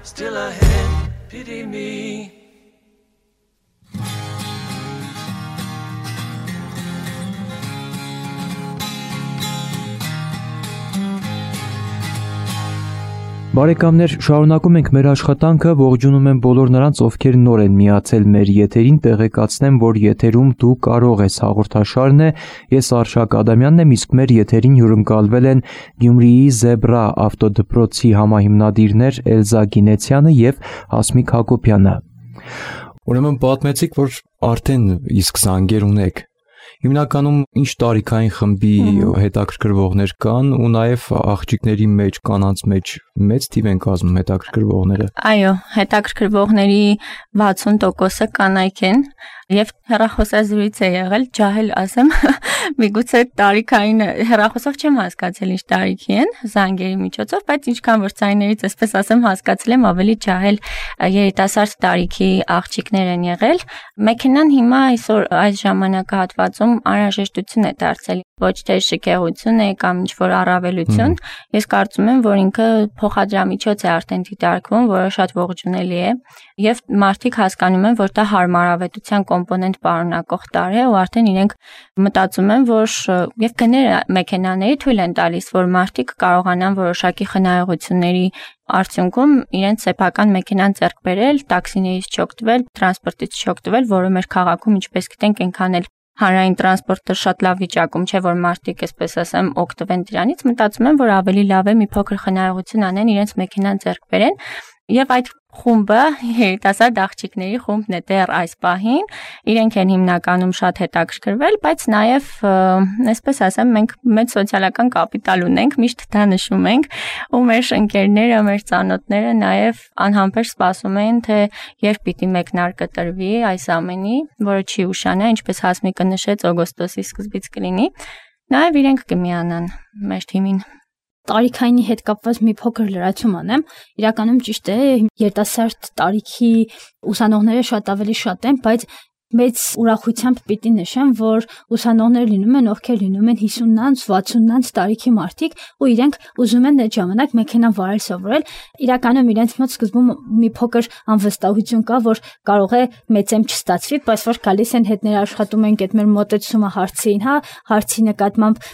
still ahead, pity me. Բարեկամներ, շարունակում ենք մեր աշխատանքը, ողջունում եմ բոլոր նրանց, ովքեր նոր են միացել մեր եթերին, տեղեկացնեմ, որ եթերում դու կարող ես հաղորդաշարն է, ես Արշակ Ադամյանն եմ, իսկ մեր եթերին հյուրընկալվել են Գյումրիի Զեբրա ավտոդպրոցի համահիմնադիրներ Էլզա Գինեցյանը եւ Հասմիկ Հակոբյանը։ Ուրեմն պատմեցիք, որ արդեն իսկ զանգեր ունեք։ Հիմնականում ինչ տարիքային խմբի հետաքրքրվողներ կան ու նաև աղջիկների մեջ, կանանց մեջ մեծ թիվ են կազմում հետաքրքրվողները։ Այո, հետաքրքրվողների վաթսուն տոկոսը կանայք են եւ հեռախոսազրույց է եղել, ջահել ասեմ, միգուցե տարիքային հեռախոսով չեմ հասկացել ինչ տարիքի են զանգերի միջոցով, բայց ինչքան որ ցայներից այսպես ասեմ հասկացել եմ, ավելի ջահել երիտասարդ տարիքի աղջիկներ են եղել։ Մեքենան հիմա այսօր այս ժամանակահատվածում անհրաժեշտություն է դարձել, ոչ թե շքեղություն է կամ ինչ-որ առավելություն։ Ես կարծում եմ, որ ինքը փոխադրամիջոց է արդեն դիտարկվում, որը շատ ողջունելի է, եւ մարդիկ հասկանում են, որ դա հարմարավետության կոմպոնենտ պարունակող տարր է ու արդեն իրենք մտածում են, որ եւ գները մեքենաների թույլ են տալիս, որ մարդիկ կարողանան որոշակի խնայողությունների արդյունքում իրենց սեփական մեքենան ձեռք բերել, տաքսիներից չօգտվել, տրանսպորտից չօգտվել, որը մեր քաղաքում, ինչպես գիտենք, այնքան էլ հանրային տրանսպորտը շատ լավ վիճակում չէ, որ մարդիկ, այսպես ասեմ, օգտվեն դրանից, մտածում են, որ ավելի լավ է մի փոքր խնայողություն անեն, իրենց մեքենան ձեռք բերեն, եւ այդ խումբը երիտասարդ աղջիկների խումբն է դեռ այս պահին, իրենք են հիմնականում շատ հետաքրքրվել, բայց նաեւ, այսպես ասեմ, մենք մեծ սոցիալական կապիտալ ունենք, միշտ դա նշում ենք, ու մեր ընկերները, մեր ծանոթները նաեւ անհամբեր սպասում են, թե երբ պիտի մեկնարկը տրվի այս ամենի, որը չի ուշանա, ինչպես Հասմիկը նշեց, օգոստոսի սկզբից կլինի, նաեւ իրենք կմիանան մեր թիմին։ Տարիքայինի հետ կապված մի փոքր լրացում անեմ, իրականում ճիշտ է, երիտասարդ տարիքի ուսանողները շատ ավելի շատ են, բայց մեծ ուրախությամբ պիտի նշեմ, որ ուսանողներ լինում են, ովքեր լինում են հիսուննանց, վաթսուննանց տարիքի մարդիկ, ու իրենք ուզում են այդ ժամանակ մեքենա վարել սովորել։ Իրականում իրենց մոտ սկզբում մի փոքր անվստահություն կա, որ կարող է մեծեմ չստացվի, բայց որ գալիս են հետները աշխատում ենք այդ մեր մոտեցումը հարցին, հա, հարցի նկատմամբ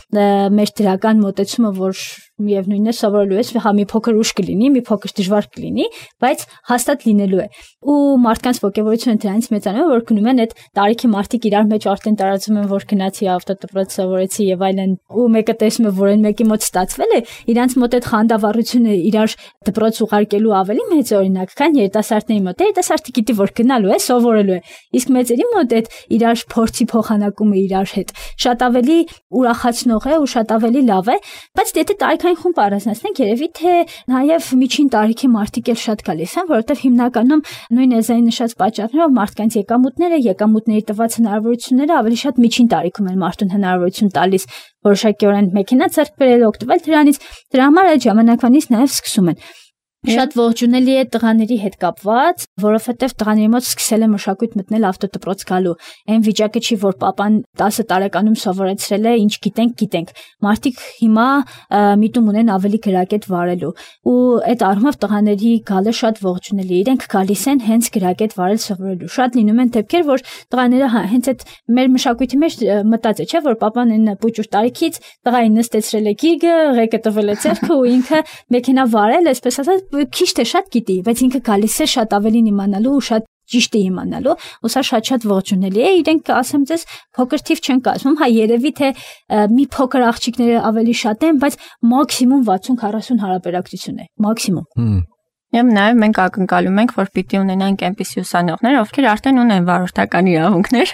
մեր դրական մոտեցումը, որ միևնույնն է սովորելու ես, հա մի փոքր ուշ կլինի, մի փոքր դժվար կլինի, բայց հաստատ լինելու է։ Ու մարդկանց ողջավորությունը դրանից մեծանում է, որ գնում են այդ տարիքի մարդիկ իրար մեջ արդեն տարածում են, որ գնացի ավտոդպրոց սովորեցի եւ այլն, ու մեկը տեսնում է, որ այն մեկի մոտ ստացվել է, իրանց մոտ այդ խանդավառությունը իրար դպրոց ուղարկելու ավելի մեծ օրինակ, քան երիտասարդների մոտ։ Երիտասարդը գիտի, որ գնալու է, սովորելու է, իսկ մեծերի մոտ այդ իրար փորձի փոխանակումը իրար հետ շատ ավելի ուրախացնող է ու շատ ավելի լավ է, բայց եթե տարիքային խումբ առանձնացնենք, երևի թե նաև միջին տարիքի մարդիկ էլ շատ գալիս են, որովհետև հիմնականում նույն Էզայի նշած պատճառներով մարդկանց եկամուտները, եկամուտների տված հնարավորությունները ավելի շատ միջին տարիքում են մարդուն հնարավորություն տալիս որոշակիորեն մեքենա ձեռք բերել, օգտվել դրանից, դրա համար այդ ժամանակվանից նաև սկսում են։ Շատ ողջունելի է տղաների հետ կապված, որովհետև տղաների մոտ սկսել է մշակույթ մտնել ավտոդպրոց գալու։ Այն վիճակը չի, որ papan տասը տարեկանում սովորեցրել է, ինչ գիտենք, գիտենք։ Մարդիկ հիմա միտում ունեն ավելի գրակետ վարելու։ Ու այդ առումով տղաների գալը շատ ողջունելի է։ Իրենք գալիս են հենց գրակետ վարել սովորելու։ Շատ լինում են դեպքեր, որ տղաները հենց այդ մեր մշակույթի մեջ մտած է, չէ՞, որ papan այն պուճուր տարիքից տղային նստեցրել է գիրգը, ղեկը տվել է ձեռքը ու ինքը մեքենա վարել, այսպես ասած քիչ թե շատ գիտի, բայց ինքը գալիս է շատ ավելին իմանալու ու շատ ճիշտ է իմանալու, ու սա շատ-շատ ողջունելի է։ Իրենք, ասեմ ձեզ, փոքր թիվ չեն կազմում, հա երևի թե մի փոքր աղջիկները ավելի շատ են, բայց մաքսիմում վաթսուն քառասուն հարաբերակցություն է, մաքսիմում։ Եվ նաև մենք ակնկալում ենք, որ պիտի ունենանք այնպիսի ուսանողներ, ովքեր արդեն ունեն վարորդական իրավունքներ,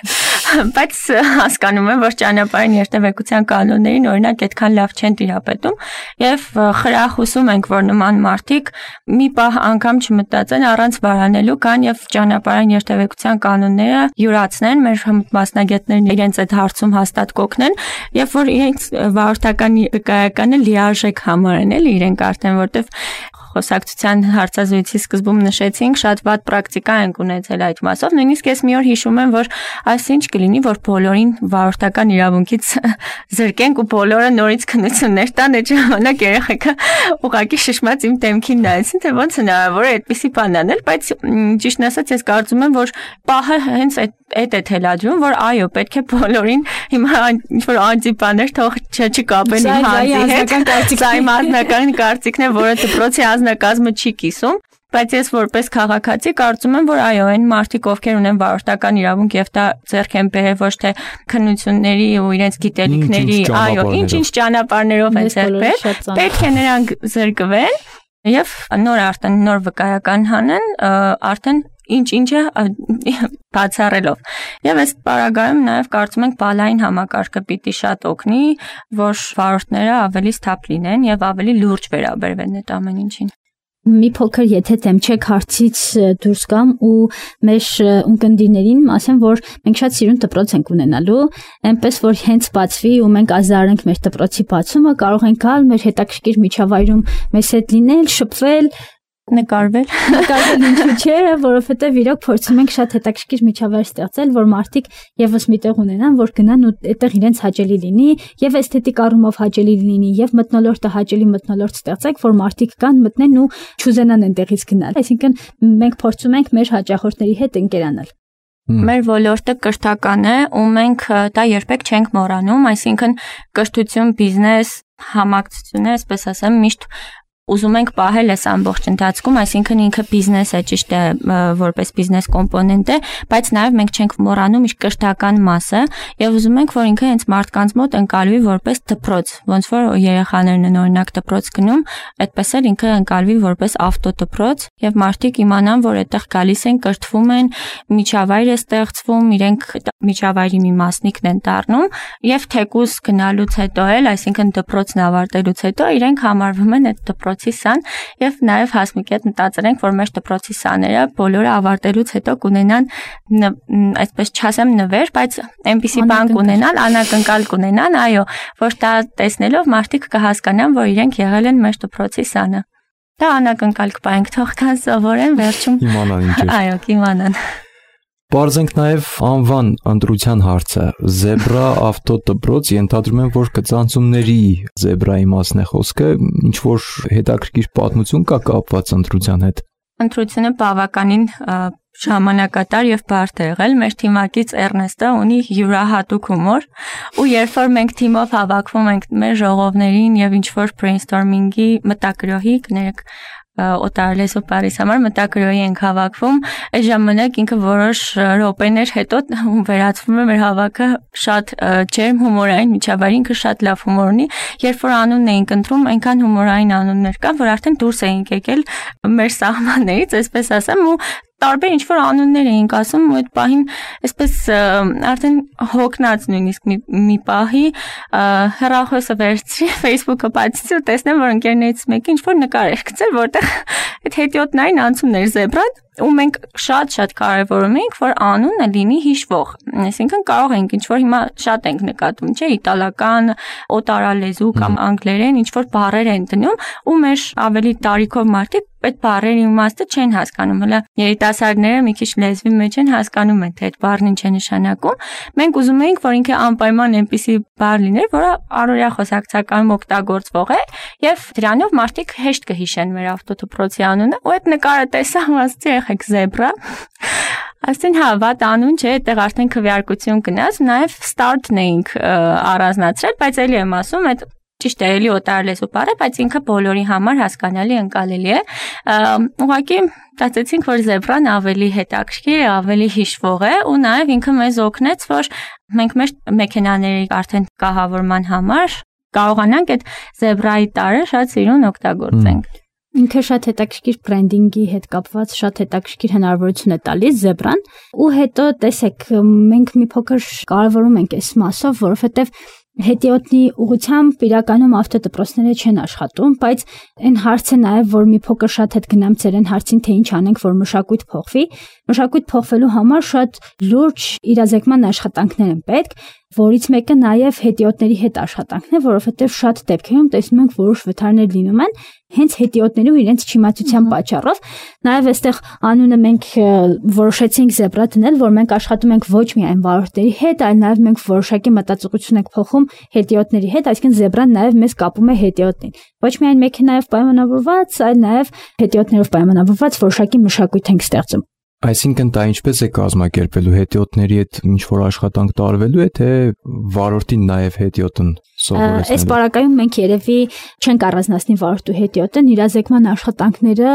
բայց հասկանում են, որ ճանապարհային երթևեկության կանոններին օրինակ այդքան լավ չեն տիրապետում, եւ խրախուսում ենք, որ նման մարդիկ մի պահ անգամ չմտածեն առանց վարանելու կան եւ ճանապարհային երթևեկության կանոնները յուրացնեն, մեր մասնագետներն իրենց այդ հարցում հաստատ կօգնեն, եւ որ իրենց վարորդական վկայականը լիարժեք համարեն, էլի իրենք արդեն, որտեվ խոսակցության հարցազրույցի սկզբում նշեցինք, շատ վատ պրակտիկա ենք ունեցել այդ մասով, նույնիսկ ես մի օր հիշում եմ, որ այսինչ կլինի, որ բոլորին վարորդական իրավունքից զրկենք ու բոլորը նորից քննություններ տան, այդ ժամանակ երեխեքը ուղղակի շշմած իմ դեմքին նայեցին, թե ոնց հնարավոր է այդպիսի բան անել, բայց ճիշտն ասած ես կարծում եմ, որ պահը հենց այդ այդ է թելադրում, որ այո, պետք է բոլորին հիմա ինչ-որ անձի բաներ թող չկապեն իմ հանձի հետ, սա իմ անձնական կարծիքն է, որը դպրոցի անձնակազմը չի կիսում, բայց ես որպես քաղաքացի կարծում եմ, որ այո, այն մարդիկ, ովքեր ունեն վարորդական իրավունք եւ դա ձեռք են բերել ոչ թե քննությունների ու իրենց գիտելիքների, այո, ինչ-ինչ ճանապարհներով են ձեռք բերել, պետք է նրանք զրկվեն եւ նոր արդեն նոր վկայական հանեն, արդեն ինչ-ինչը բացառելով։ Եվ այս պարագայում նաև կարծում ենք բալային համակարգը պիտի շատ օգնի, որ վարորդները ավելի սթափ լինեն եւ ավելի լուրջ վերաբերվեն այդ ամեն ինչին։ Մի փոքր եթե թեմչեք հարցից դուրս գամ ու մեր ունկնդիրներին ասեմ, որ մենք շատ սիրուն դպրոց ենք ունենալու, այնպես որ հենց բացվի ու մենք ազդարենք մեր դպրոցի բացումը, կարող ենք գալ մեր հետաքրքիր միջավայրում մեզ հետ լինել, շփվել, նկարվել, նկարվել ինչու՞ չէ, որովհետև իրոք փորձում ենք շատ հետաքրքիր միջավայր ստեղծել, որ մարդիկ եւս միտեղ ունենան, որ գնան ու այդտեղ իրենց հաճելի լինի, եւ էսթետիկ առումով հաճելի լինի, եւ մթնոլորտը հաճելի մթնոլորտ ստեղծեք, որ մարդիկ կան, մտնեն ու չուզենան այնտեղից գնալ։ Այսինքն մենք փորձում ենք մեր հաճախորդների հետ ընկերանալ։ Մեր ոլորտը կրթական է ու մենք դա երբեք չենք մոռանում, այսինքն կրթություն, բիզնես, համակցություն է, այսպես ասեմ, միշտ ուզում ենք պահել այս ամբողջ ընթացքում, այսինքն ինքը բիզնես է, ճիշտ է, որպես բիզնես կոմպոնենտ է, բայց նաև մենք չենք մոռանում իր կրթական մասը եւ ուզում ենք, որ ինքը հենց մարդկանց մոտ ընկալվի որպես դպրոց, ոնց որ երեխաներն են օրինակ դպրոց գնում, այդպես էլ ինքը ընկալվի որպես ավտոդպրոց եւ մարդիկ իմանան, որ այդտեղ գալիս են, կրթվում են, միջավայր է ստեղծվում, իրենք միջավայրի մի մասնիկն են դառնում եւ թեկուզ գնալուց հետո էլ, այսինքն դպրոցն ավարտելուց հետո իրենք համարվում են այդ դպրոց սան եւ նաեւ հասմիկի հետ մտածենք, որ մեր դպրոցի սաները բոլորը ավարտելուց հետո կունենան այսպես չասեմ նվեր, բայց այնպիսի բան կունենան, անակնկալ կունենան, այո, որ դա տեսնելով մարդիկ կհասկանան, որ իրենք եղել են մեր դպրոցի սանը։ Դա անակնկալ կպայենք, թող կան սովորեն, վերջում իմանան ինչ է։ Այո, կիմանան։ Բարձենք նաև անվան ընտրության հարցը։ Զեբրա ավտոդպրոց, ենթադրում եմ, որ կծանցումների զեբրայի մասն է խոսքը, ինչ որ հետաքրքիր պատմություն կա կապված ընտրության հետ։ Ընտրությունը բավականին ժամանակատար եւ բարդ է եղել։ Մեր թիմակից Էրնեստը ունի յուրահատուկ հումոր, ու երբ որ մենք թիմով հավաքվում ենք մեր ժողովներին եւ ինչ որ brainstorming-ի մտակրոհի կներեք օտարալեզու բարիս համար մտակրոհի ենք հավաքվում, այդ ժամանակ ինքը որոշ րոպեներ հետո վերածվում է մեր հավաքը շատ ջերմ հումորային միջավայր, ինքը շատ լավ հումոր ունի, երբ որ անունն էինք ընտրում, այնքան հումորային անուններ կան, որ արդեն դուրս էինք եկել մեր սահմաններից, այսպես ասեմ, ու տարբեր ինչ որ անուններ էինք ասում ու այդ պահին այսպես արդեն հոգնած նույնիսկ մի, մի պահի հեռախոսը վերցրի Facebook-ը բացեցի ու տեսնեմ որ ընկերներից մեկը ինչ որ նկար էր գցել որտեղ այդ հետիոտնային անցումն էր զեբրան ու մենք շատ-շատ կարևորում ենք որ անունը լինի հիշվող այսինքն կարող ենք ինչ որ հիմա շատ ենք նկատում չէ իտալական օտարալեզու կամ անգլերեն ինչ որ բառեր են դնում ու մեր ավելի տարիքով մարդիկ այդ բառերի իմաստը չեն հասկանում հələ երիտասարդները մի քիչ լեզվի մեջ են հասկանում են թե այդ բառն ինչ է նշանակում մենք ուզում էինք որ ինքը անպայման այնպիսի բառ լիներ որը առօրյա խոսակցականում օգտագործվող է եւ դրանով մարդիկ հեշտ կհիշեն մեր ավտոդպրոցի անունը ու այդ նկարը տեսա ասացի եղեք զեբրա Ասեն հա, վատ անուն չէ, այդտեղ արդեն քվեարկություն գնաց, նաև start-ն էինք առանձնացրել, բայց էլի եմ ասում, այդ ճիշտ է, էլի օտարալեզու բառ է, բայց ինքը բոլորի համար հասկանալի ընկալելի է։ Ուղղակի ստացեցինք, որ զեբրան ավելի հետաքրքիր է, ավելի հիշվող է, ու նաև ինքը մեզ օգնեց, որ մենք մեր մեքենաների արդեն կահավորման համար կարողանանք այդ զեբրայի տարը շատ սիրուն օգտագործենք։ Ինքը շատ հետաքրքիր բրենդինգի հետ կապված շատ հետաքրքիր հնարավորություն է տալիս զեբրան ու հետո տեսեք մենք մի փոքր կարևորում ենք այս մասով որովհետև հետիոտնի ուղղությամբ իրականում ավտոդպրոցները չեն աշխատում, բայց այն հարցը նաև որ մի փոքր շատ հետ գնամ ծեր այն հարցին, թե ինչ անենք, որ մշակույթ փոխվի։ Մշակույթ փոխվելու համար շատ լուրջ իրազեկման աշխատանքներ են պետք, որից մեկը նաև հետիոտների հետ աշխատանքն է, որովհետև շատ դեպքերում տեսնում ենք որոշ վթարներ լինում են հենց հետիոտներու իրենց չիմացության պատճառով։ Նաև այստեղ անունը մենք որոշեցինք զեբրա դնել, որ մենք աշխատում ենք ոչ միայն վարորդների հետ, այլ նաև մենք որոշակի մտածողություն ենք փոխում հետիոտների հետ, այսինքն զեբրան նաև մեզ կապում է հետիոտին։ Ոչ միայն մեքենայով պայմանավորված, այլ նաև հետիոտներով պայմանավորված որոշակի մշակույթ ենք ստեղծում։ Այսինքն դա ինչպես է կազմակերպելու հետիոտների հետ ինչ որ աշխատանք տարվելու է, թե վարորդին նաև հետիոտն սովորեցնելու։ Այս բարակայում մենք երևի չենք առանձնացնի վարորդու հետիոտն, իրազեկման աշխատանքները,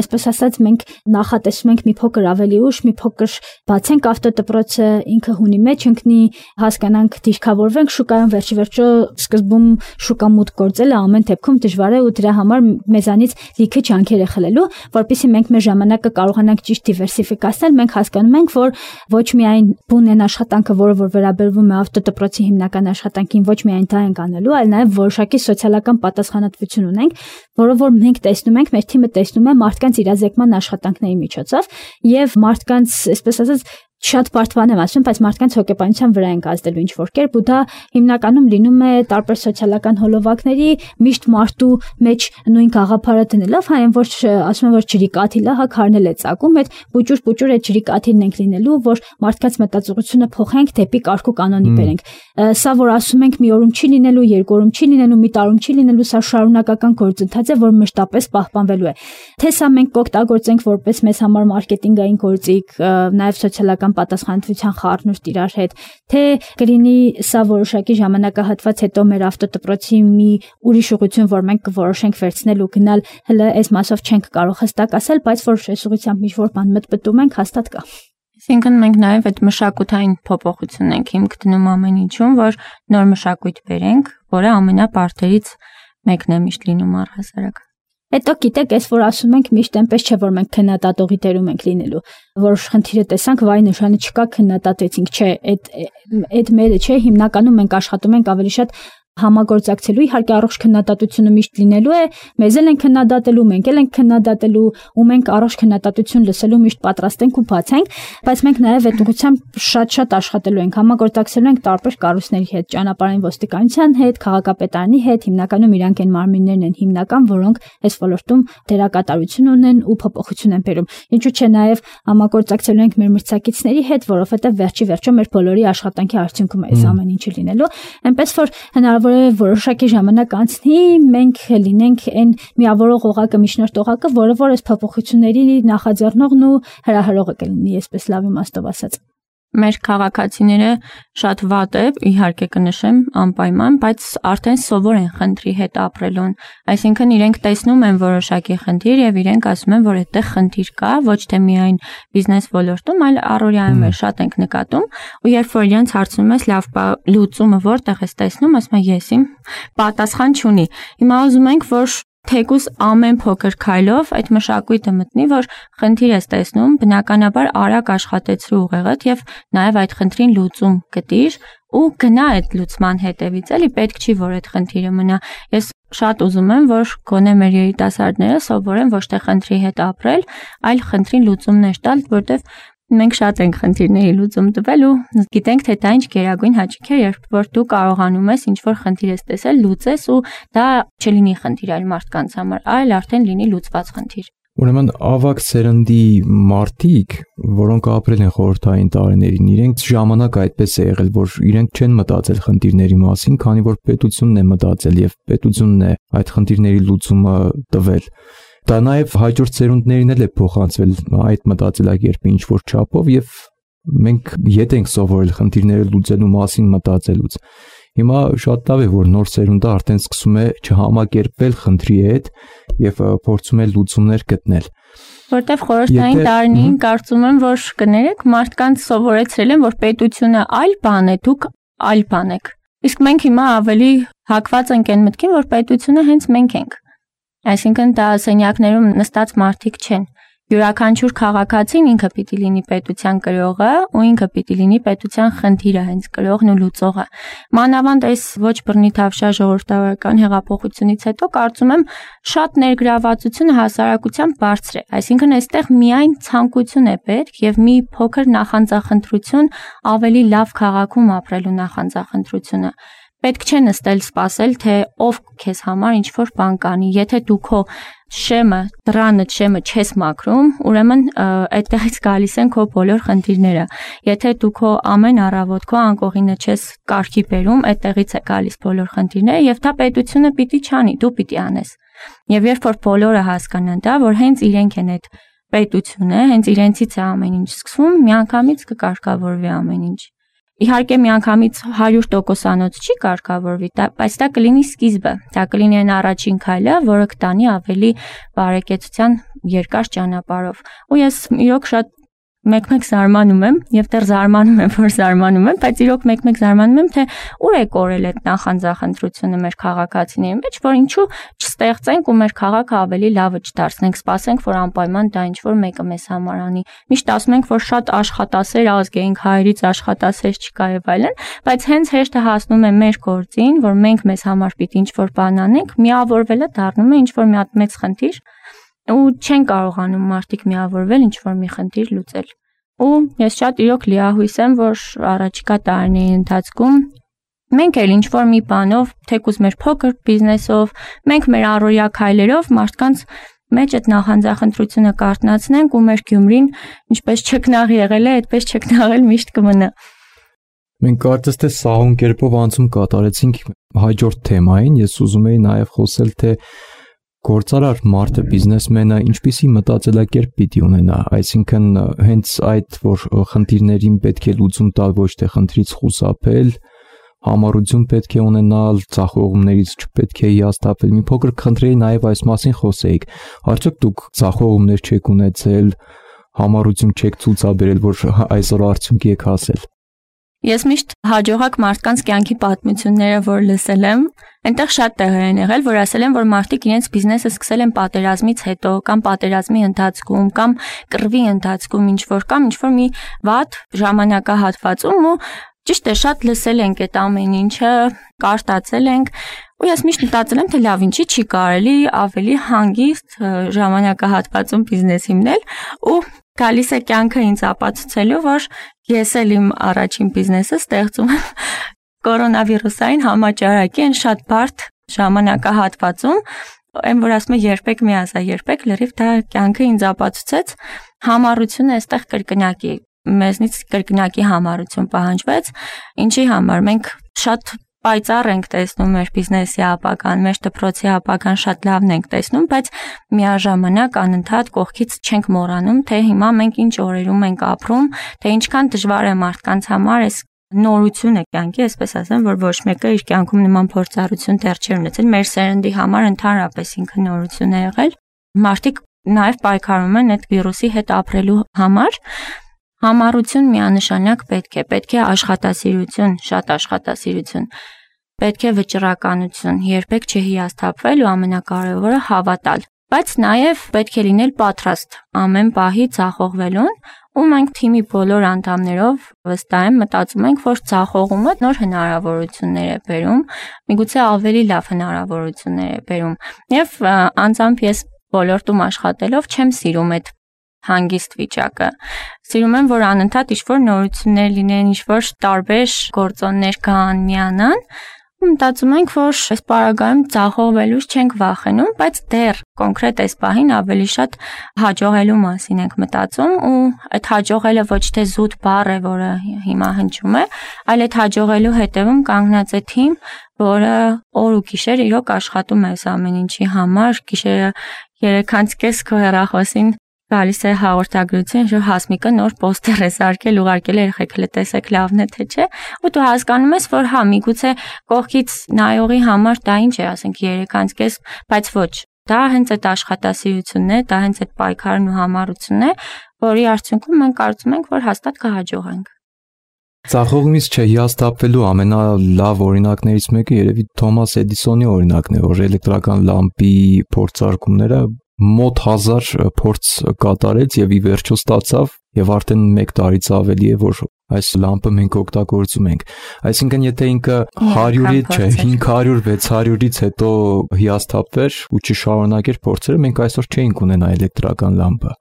այսպես ասած, մենք նախատեսում ենք մի փոքր ավելի ուշ, մի փոքր բացենք ավտոդպրոցը, ինքը հունի մեջ ընկնի, հասկանանք, դիրքավորվենք շուկայում, վերջի վերջո սկզբում շուկա մուտք գործելը ամեն դեպքում դժվար է ու դրա համար մեզանից լիքը ջանքեր է խլելու, որպեսզի մենք մեր ժամանակը կարողանանք ճիշտ դիվերսիֆիկացնել, մենք հասկանում ենք, որ ոչ միայն բուն են աշխատանքը, որը որ վերաբերվում է ավտոդպրոցի հիմնական աշխատանքին, ոչ միայն դա ենք անելու, այլ նաև որոշակի սոցիալական պատասխանատվություն ունենք, որը որ մենք տեսնում ենք, մեր թիմը տեսնում է մարդկանց իրազեկման աշխատանքների միջոցով եւ մարդկանց, այսպես ասած, շատ բարդ եմ ասում, բայց մարդկանց հոգեբանության վրա ենք ազդելու ինչ որ կերպ ու դա հիմնականում լինում է տարբեր սոցիալական հոլովակների միշտ մարդու մեջ նույն գաղափարը դնելով, հայն որ ասում են որ ջրի կաթիլը հա քարնել է ծակում, այդ պուճուր պուճուր այդ ջրի կաթիլն ենք լինելու, որ մարդկանց մտածողությունը փոխենք դեպի կարգ ու կանոնի բերենք։ Սա որ ասում ենք մի օրում չի լինելու, երկու օրում չի լինելու, մի տարում չի լինելու, սա շարունակական գործընթաց է, որ մշտապես պահպանվելու է։ Թե սա մենք կօգտագործենք որպես մեզ համար մարքեթինգային գործիք, նաև սոցիալական պատասխանատվության խառնուրդ իրար հետ, թե կլինի սա որոշակի ժամանակահատված հետո մեր ավտոդպրոցի մի ուրիշ ուղղություն, որ մենք կորոշենք վերցնել ու գնալ, հələ այս մասով չենք կարող հստակ ասել, բայց որ այս ուղղությամբ մի որ բան մտպտում ենք, հաստատ կա։ Այսինքն մենք նաև այդ մշակութային փոփոխությունն ենք հիմք դնում ամեն ինչում, որ նոր մշակույթ բերենք, որը ամենապարտերից մեկն է միշտ լինում առհասարակ։ Հետո գիտեք, այս որ ասում ենք միշտ այնպես չէ, որ մենք քննադատողի դերում ենք լինելու։ Որոշ խնդիրը տեսանք, վայ նշանը չկա, քննադատեցինք, չէ, այդ այդ մերը չէ, հիմնականում մենք աշխատում ենք ավելի շատ համագործակցելու, իհարկե առողջ քննադատությունը միշտ լինելու է, մեզ էլ են քննադատելու, մենք էլ ենք քննադատելու ու մենք առողջ քննադատություն լսելու միշտ պատրաստ ենք ու բաց ենք, բայց մենք նաև այդ ուղղությամբ շատ-շատ աշխատելու ենք, համագործակցելու ենք տարբեր կառույցների հետ, ճանապարհային ոստիկանության հետ, քաղաքապետարանի հետ, հիմնականում իրանք են մարմիններն են հիմնական, որոնք այս ոլորտում դերակատարություն ունեն ու փոփոխություն են բերում։ Ինչու՞ չէ նաև համագործակցելու ենք մեր մրցակիցների հետ, որովհետև վերջի վերջո մեր բոլորի աշխատանքի արդյունքում է այս ամեն ինչը լինելու, այնպես որ հնարավոր որոշակի ժամանակ անցնի, մենք լինենք այն միավորող օղակը, միջնորդ օղակը, որը որ այս փոփոխությունների նախաձեռնողն ու հրահրողը կլինի, այսպես լավ իմաստով ասած։ Մեր քաղաքացիները շատ վատ է, իհարկե կնշեմ անպայման, բայց արդեն սովոր են խնդրի հետ ապրելուն, այսինքն իրենք տեսնում են որոշակի խնդիր եւ իրենք ասում են, որ այդտեղ խնդիր կա, ոչ թե միայն բիզնես ոլորտում, այլ առօրյայում էլ շատ ենք նկատում, ու երբ որ իրենց հարցնում ես լավ լուծումը որտեղ ես տեսնում, ասում են ես իմ պատասխան չունի։ Հիմա ուզում ենք, որ թեկուզ ամեն փոքր քայլով այդ մշակույթը մտնի, որ խնդիր ես տեսնում, բնականաբար արագ աշխատեցրու ուղեղդ եւ նաեւ այդ խնդրին լուծում գտիր ու գնա այդ լուծման հետևից, էլի պետք չի որ այդ խնդիրը մնա։ Ես շատ ուզում եմ, որ գոնե մեր երիտասարդները սովորեն ոչ թե խնդրի հետ ապրել, այլ խնդրին լուծումներ տալ, որտեղ մենք շատ ենք խնդիրների լուծում տվել ու գիտենք, թե դա ինչ գերագույն հաճույք է, երբ որ դու կարողանում ես ինչ-որ խնդիր ես տեսել, լուծես ու դա չլինի խնդիր այլ մարդկանց համար, այլ արդեն լինի լուծված խնդիր։ Ուրեմն ավագ սերնդի մարդիկ, որոնք ապրել են խորհրդային տարիներին, իրենք ժամանակ այդպես է եղել, որ իրենք չեն մտածել խնդիրների մասին, քանի որ պետությունն է մտածել եւ պետությունն է այդ խնդիրների լուծումը տվել։ Դա նաև հաջորդ սերունդներին էլ է փոխանցվել այդ մտածելակերպը ինչ որ չափով եւ մենք ետ ենք սովորել խնդիրները լուծելու մասին մտածելուց։ Հիմա շատ լավ է, որ նոր սերունդը արդեն սկսում է չհամակերպվել խնդրի հետ եւ փորձում է լուծումներ գտնել։ Որտեվ խորհրդային տարիներին կարծում եմ, որ կներեք մարդկանց սովորեցրել են, որ պետությունը այլ բան է, դուք այլ բան եք։ Իսկ մենք հիմա ավելի հակված ենք այն մտքին, որ պետությունը հենց մենք ենք։ Այսինքն դա սենյակներում նստած մարդիկ չեն։ Յուրաքանչյուր քաղաքացին ինքը պիտի լինի պետության կրողը ու ինքը պիտի լինի պետության խնդիրը հենց կրողն ու լուծողը։ Մանավանդ այս ոչ բռնի թավշյա ժողովրդավարական հեղափոխությունից հետո կարծում եմ շատ ներգրավվածությունը հասարակության բարձր է, այսինքն այստեղ միայն ցանկություն է պետք եւ մի փոքր նախանձախնդրություն ավելի լավ քաղաքում ապրելու նախանձախնդրությունը։ Պետք չէ նստել սպասել, թե ով քեզ համար ինչ-որ բան կանի։ Եթե դու քո շեմը, դռանը շեմը չես մաքրում, ուրեմն այդտեղից գալիս են քո բոլոր խնդիրները։ Եթե դու քո ամեն առավոտ քո անկողինը չես կարգի բերում, այդտեղից է գալիս բոլոր խնդիրները եւ դա պետությունը պիտի չանի, դու պիտի անես։ Եվ երբ որ բոլորը հասկանան դա, որ հենց իրենք են այդ պետությունը, հենց իրենցից է ամեն ինչ սկսվում, միանգամից կկարգավորվի ամեն ինչ։ Իհարկե միանգամից հարյուր տոկոսանոց չի կարգավորվի, բայց դա կլինի սկիզբը, դա կլինի այն առաջին քայլը, որը կտանի ավելի բարեկեցության երկար ճանապարհով։ Ու ես իրոք շատ մեկ-մեկ զարմանում եմ եւ դեռ զարմանում եմ, որ զարմանում եմ, բայց իրոք մեկ-մեկ զարմանում եմ, թե ուր է կորել այդ նախանձախնդրությունը մեր քաղաքացիների մեջ, որ ինչու չստեղծենք ու մեր քաղաքը ավելի լավը չդարձնենք, սպասենք, որ անպայման դա ինչ-որ մեկը մեզ համար անի։ Միշտ ասում ենք, որ շատ աշխատասեր ազգ էինք, հայերից աշխատասեր չկա եւ այլն, բայց հենց հեշտը հասնում է մեր գործին, որ մենք մեզ համար պիտի ինչ-որ բան անենք, միավորվելը դառնում է ինչ-որ մի հատ մեծ խնդիր ու չեն կարողանում մարդիկ միավորվել ինչ-որ մի խնդիր լուծել։ Ու ես շատ իրոք լիահույս եմ, որ առաջիկա տարիների ընթացքում մենք էլ ինչ-որ մի բանով, թեկուզ մեր փոքր բիզնեսով, մենք մեր առօրյա քայլերով մարդկանց մեջ այդ նախանձախնդրությունը կարթնացնենք ու մեր Գյումրին ինչպես չքնաղ եղել է, այդպես չքնաղել միշտ կմնա։ Մենք կարծես թե սահուն կերպով անցում կատարեցինք հաջորդ թեմային, ես ուզում եի նաև խոսել, թե գործարար մարդը, բիզնեսմենը ինչպիսի մտածելակերպ պիտի ունենա, այսինքն հենց այդ, որ խնդիրներին պետք է լուծում տալ, ոչ թե խնդրից խուսափել, համառություն պետք է ունենալ, ցախողումներից չպետք է հիասթափվել։ Մի փոքր խնդրեի նաև այս մասին խոսեիք։ Արդյոք դուք ցախողումներ չեք ունեցել, համառություն չեք ցուցաբերել, որ այսօր արդյունքի եք հասել։ Ես միշտ հաջողակ մարդկանց կյանքի պատմությունները, որ լսել եմ, այնտեղ շատ տեղեր են եղել, որ ասել են, որ մարդիկ իրենց բիզնեսը սկսել են պատերազմից հետո, կամ պատերազմի ընթացքում, կամ կռվի ընթացքում, ինչ-որ կամ ինչ-որ մի վատ ժամանակահատվածում ու ճիշտ է, շատ լսել ենք այդ ամեն ինչը, կարտացել ենք, ու ես միշտ մտածել եմ, թե լավ, ինչի չի կարելի ավելի հանգիստ ժամանակահատվածում բիզնես հիմնել ու գալիս է կյանքը ինձ ապացուցելու, որ ես էլ իմ առաջին բիզնեսը ստեղծում եմ կորոնավիրուսային համաճարակի այն շատ բարդ ժամանակահատվածում, այն որ ասում է երբեք մի ասա, երբեք լրիվ դա կյանքը ինձ ապացուցեց, համառությունը այստեղ կրկնակի, մեզնից կրկնակի համառություն պահանջվեց, ինչի համար մենք շատ պայծառ ենք տեսնում մեր բիզնեսի ապագան, մեր դպրոցի ապագան շատ լավն ենք տեսնում, բայց միաժամանակ անընդհատ կողքից չենք մոռանում, թե հիմա մենք ինչ օրերում ենք ապրում, թե ինչքան դժվար է մարդկանց համար այս նորությունը կյանքի, այսպես ասեմ, որ ոչ մեկը իր կյանքում նման փորձառություն դեռ չէր ունեցել, մեր սերնդի համար ընդհանրապես ինքը նորություն է եղել։ Մարդիկ նաև պայքարում են այդ վիրուսի հետ ապրելու համար։ Համառություն միանշանակ պետք է, պետք է աշխատասիրություն, շատ աշխատասիրություն, պետք է վճռականություն, երբեք չհիասթափվել ու ամենակարևորը հավատալ, բայց նաև պետք է լինել պատրաստ ամեն պահի ձախողվելուն, ու մենք թիմի բոլոր անդամներով վստահ եմ մտածում ենք, որ ձախողումը նոր հնարավորություններ է բերում, միգուցե ավելի լավ հնարավորություններ է բերում, եւ անձամբ ես ոլորտում աշխատելով չեմ սիրում այդ հանգիստ վիճակը։ Սիրում եմ, որ անընդհատ ինչ-որ նորություններ լինեն, ինչ-որ տարբեր գործոններ կան, միանան, ու մտածում ենք, որ այս պարագայում ձախողվելուց չենք վախենում, բայց դեռ կոնկրետ այս պահին ավելի շատ հաջողելու մասին ենք մտածում, ու այդ հաջողելը ոչ թե զուտ բառ է, որը հիմա հնչում է, այլ այդ հաջողելու հետևում կանգնած է թիմ, որը օր ու գիշեր իրոք աշխատում է այս ամեն ինչի համար, գիշերը երեքանց կես քո հեռախոսին գալիս է հաղորդագրություն, որ Հասմիկը նոր պոստեր է սարքել, ուղարկել է երեխեքները տեսեք լավն է թե չէ, ու դու հասկանում ես, որ հա միգուցե կողքից նայողի համար դա ինչ է, ասենք երեքանց կես, բայց ոչ, դա հենց այդ աշխատասիրությունն է, դա հենց այդ պայքարն ու համառությունն է, որի արդյունքում մենք կարծում ենք, որ հաստատ կհաջողենք։ Ձախողումից չհիասթափվելու ամենալավ օրինակներից մեկը երևի Թոմաս Էդիսոնի օրինակն է, որ էլեկտրական լամպի փորձարկումները մոտ հազար փորձ կատարեց եւ ի վերջո ստացավ եւ արդեն մեկ տարից ավելի է որ այս լամպը մենք օգտագործում ենք այսինքն եթե ինքը հարյուրից չէ հինգ հարյուր վեց հարյուրից հետո հիասթափվեր ու չշարունակեր փորձերը մենք այսօր չէինք ունենա էլեկտրական լամպը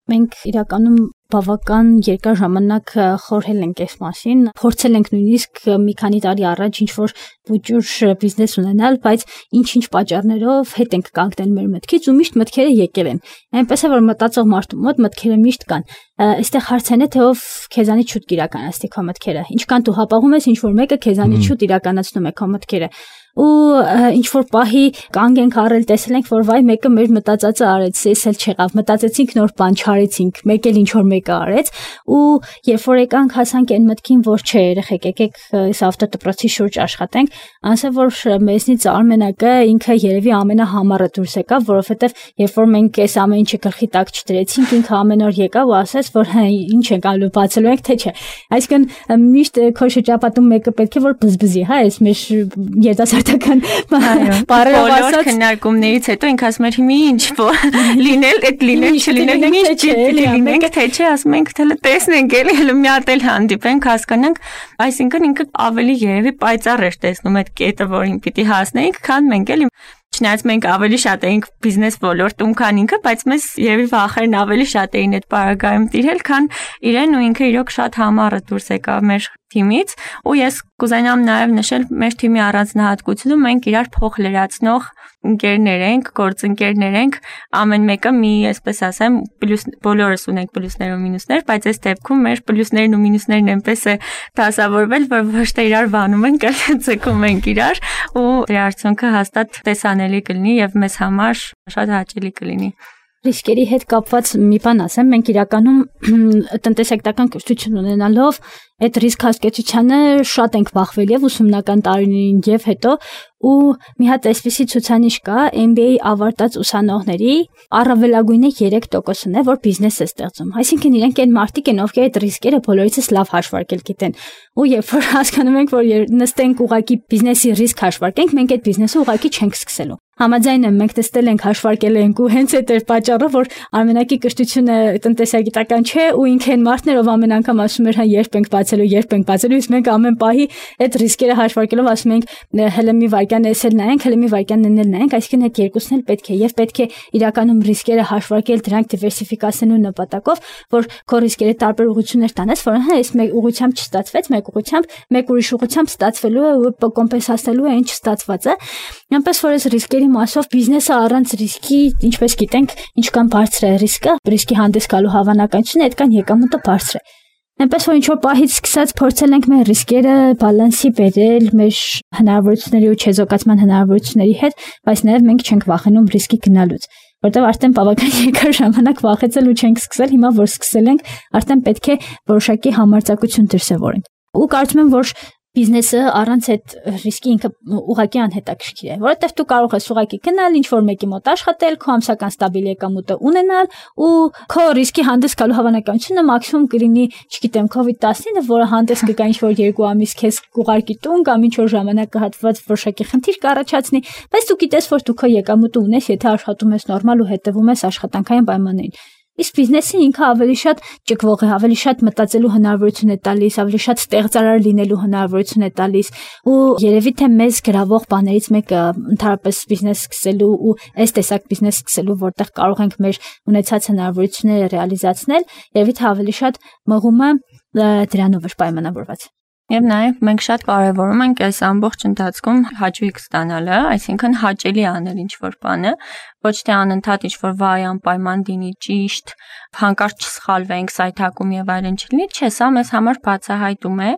մենք իրականում բավական երկար ժամանակ խորհել ենք այս մասին, փորձել ենք նույնիսկ մի քանի տարի առաջ ինչ-որ վճուր բիզնես ունենալ, բայց ինչ-ինչ պատճառներով հետ ենք կանգնել մեր մտքից ու միշտ մտքերը եկել են։ Այնպես է որ մտածող մարդու մոտ մտքերը միշտ կան։ Այստեղ հարցն է թե ով քեզանից շուտ կիրականացնի քո մտքերը։ Ինչքան դու հապաղում ես, ինչ-որ մեկը քեզանից շուտ իրականացնում է քո մտքերը։ ու ինչ որ պահի կանգ ենք առել տեսել ենք որ վայ մեկը մեր մտածածը արեց էս էլ չեղավ մտածեցինք նոր բան չարեցինք մեկ էլ ինչ որ մեկը արեց ու երբ որ եկանք հասանք այն մտքին որ չէ երեխեք եկեք այս ավտոդպրոցի շուրջ աշխատենք ասա որ մեզնից արմենակը ինքը երևի ամենահամառը դուրս եկավ որովհետև երբ որ մենք այս ամեն ինչը գլխի տակ չդրեցինք ինքը ամեն օր եկավ ու ասաց որ հա ինչ ենք ալու բացելու ենք թե չէ այսինքն միշտ քո շրջապատում մեկը պետք է որ բզբզի հա այս մեր երիտասարդական բոլոր քննարկումներից հետո ինքը ասում էր հիմա ինչ որ լինել այդ լինել չլինել ինչ լինենք թե չէ ասում ենք թե տեսնենք էլի հələ մի հատ էլ հանդիպենք հասկանանք այսինքն ինքը ավելի երևի պայծառ էր տեսնում այդ կետը որին պիտի հասնեինք քան մենք էլի Չնայած մենք ավելի շատ էինք բիզնես ոլորտում, քան ինքը, բայց մեզ երևի վախերն ավելի շատ էին այդ պարագայում տիրել, քան իրեն ու ինքը իրոք շատ համառը դուրս եկավ մեր թիմից, ու ես կուզենամ նաև նշել մեր թիմի առանձնահատկությունը, մենք իրար փոխ լրացնող ընկերներ ենք, գործընկերներ ենք, ամեն մեկը մի, այսպես ասեմ, պլյուս բոլորս ունենք պլյուսներ ու մինուսներ, բայց այս դեպքում մեր պլյուսներն ու մինուսներն այնպես է դասավորվել, որ ոչ թե իրար վանում ենք, այլ ցկում ենք իրար, ու դրա արդյունքը հաստատ տեսանելի կլինի եւ մեզ համար շատ հաճելի կլինի։ Ռիսկերի հետ կապված մի բան ասեմ, մենք իրականում տնտեսական կրթություն ունենալով այդ ռիսկ հասկացությանը շատ ենք բախվել եւ ուսումնական տարիներին եւ հետո ու մի հատ այսպիսի ցուցանիշ կա M B A ավարտած ուսանողների առավելագույնը երեք տոկոսն է որ բիզնես է ստեղծում այսինքն իրենք այն մարդիկ են ովքեր այդ ռիսկերը բոլորիցս լավ հաշվարկել գիտեն ու երբ որ հասկանում ենք որ նստենք ուղակի բիզնեսի ռիսկ հաշվարկենք մենք այդ բիզնեսը ուղակի չենք սկսելու Համաձայն եմ մենք տեսել ենք հաշվարկել ենք ու հենց այդ էր պատճառը որ արմենակի կրթությունը տնտեսագիտական չէ ու ինքը այն մարդներ ով ամեն անգամ ասում էր հա երբ ենք բացելու երբ ենք բացելու իսկ մենք ամեն պահի այդ ռիսկերը հաշվարկելով ասում ենք հələ մի վայրկյան էսել նայենք հələ մի վայրկյան էնել նայենք այսինքն այդ երկուսն էլ պետք է եւ պետք է իրականում ռիսկերը հաշվարկել դրանք դիվերսիֆիկացնելու նպատակով որ քո ռիսկերը տարբեր ուղղություններ տանես որ հա այս մեկ ուղղությամբ չստացվեց մեկ ուղղությամբ մեկ ուրիշ ուղղությամբ ստացվելու է ու կոմպենսացնելու է ինչ չստացված է այնպես որ այս ռիսկերի մասով բիզնեսը առանց ռիսկի, ինչպես գիտենք, ինչքան բարձր է ռիսկը, ռիսկի հանդես գալու հավանականությունը, այդքան եկամուտը բարձր է։ Այնպես որ ինչ-որ պահից սկսած փորձել ենք մեր ռիսկերը բալանսի բերել մեր հնարավորությունների ու չեզոքացման հնարավորությունների հետ, բայց նաև մենք չենք վախենում ռիսկի գնալուց, որտեղ արդեն բավական երկար ժամանակ վախեցել ու չենք սկսել, հիմա որ սկսել ենք, արդեն պետք է որոշակի համարձակություն դրսևորենք։ Ու կարծում եմ, որ Բիզնեսը առանց այդ ռիսկի ինքը ուղղակի անհետաքրքիր է, որովհետև դու կարող ես ուղղակի գնալ ինչ-որ մեկի մոտ աշխատել, քո ամսական ստաբիլ եկամուտը ունենալ ու քո ռիսկի հանդես գալու հավանականությունը մաքսիմում կլինի, չգիտեմ, COVID տասնինը, որը հանդես կգա ինչ-որ երկու ամիս քեզ կուղարկի տուն կամ ինչ-որ ժամանակահատված որոշակի խնդիր կառաջացնի, բայց դու գիտես, որ դու քո եկամուտը ունես, եթե աշխատում ես նորմալ ու հետևում ես աշխատանքային պայմաններին։ Իսկ բիզնեսը ինքը ավելի շատ ճկվող է, ավելի շատ մտածելու հնարավորություն է տալիս, ավելի շատ ստեղծարար լինելու հնարավորություն է տալիս ու երևի թե մեզ գրավող բաներից մեկը ընդհանրապես բիզնես սկսելու ու այս տեսակ բիզնես սկսելու, որտեղ կարող ենք մեր ունեցած հնարավորությունները ռեալիզացնել, երևի թե ավելի շատ մղումը դրանով էր պայմանավորված։ Եվ նաև մենք շատ կարևորում ենք այս ամբողջ ընթացքում հաճույք ստանալը, այսինքն հաճելի անել ինչ-որ բանը, ոչ թե անընդհատ ինչ-որ վայ անպայման դինի ճիշտ, հանկարծ չսխալվենք, սայթակում եւ այլն չլինի, չէ, սա մեզ համար բացահայտում է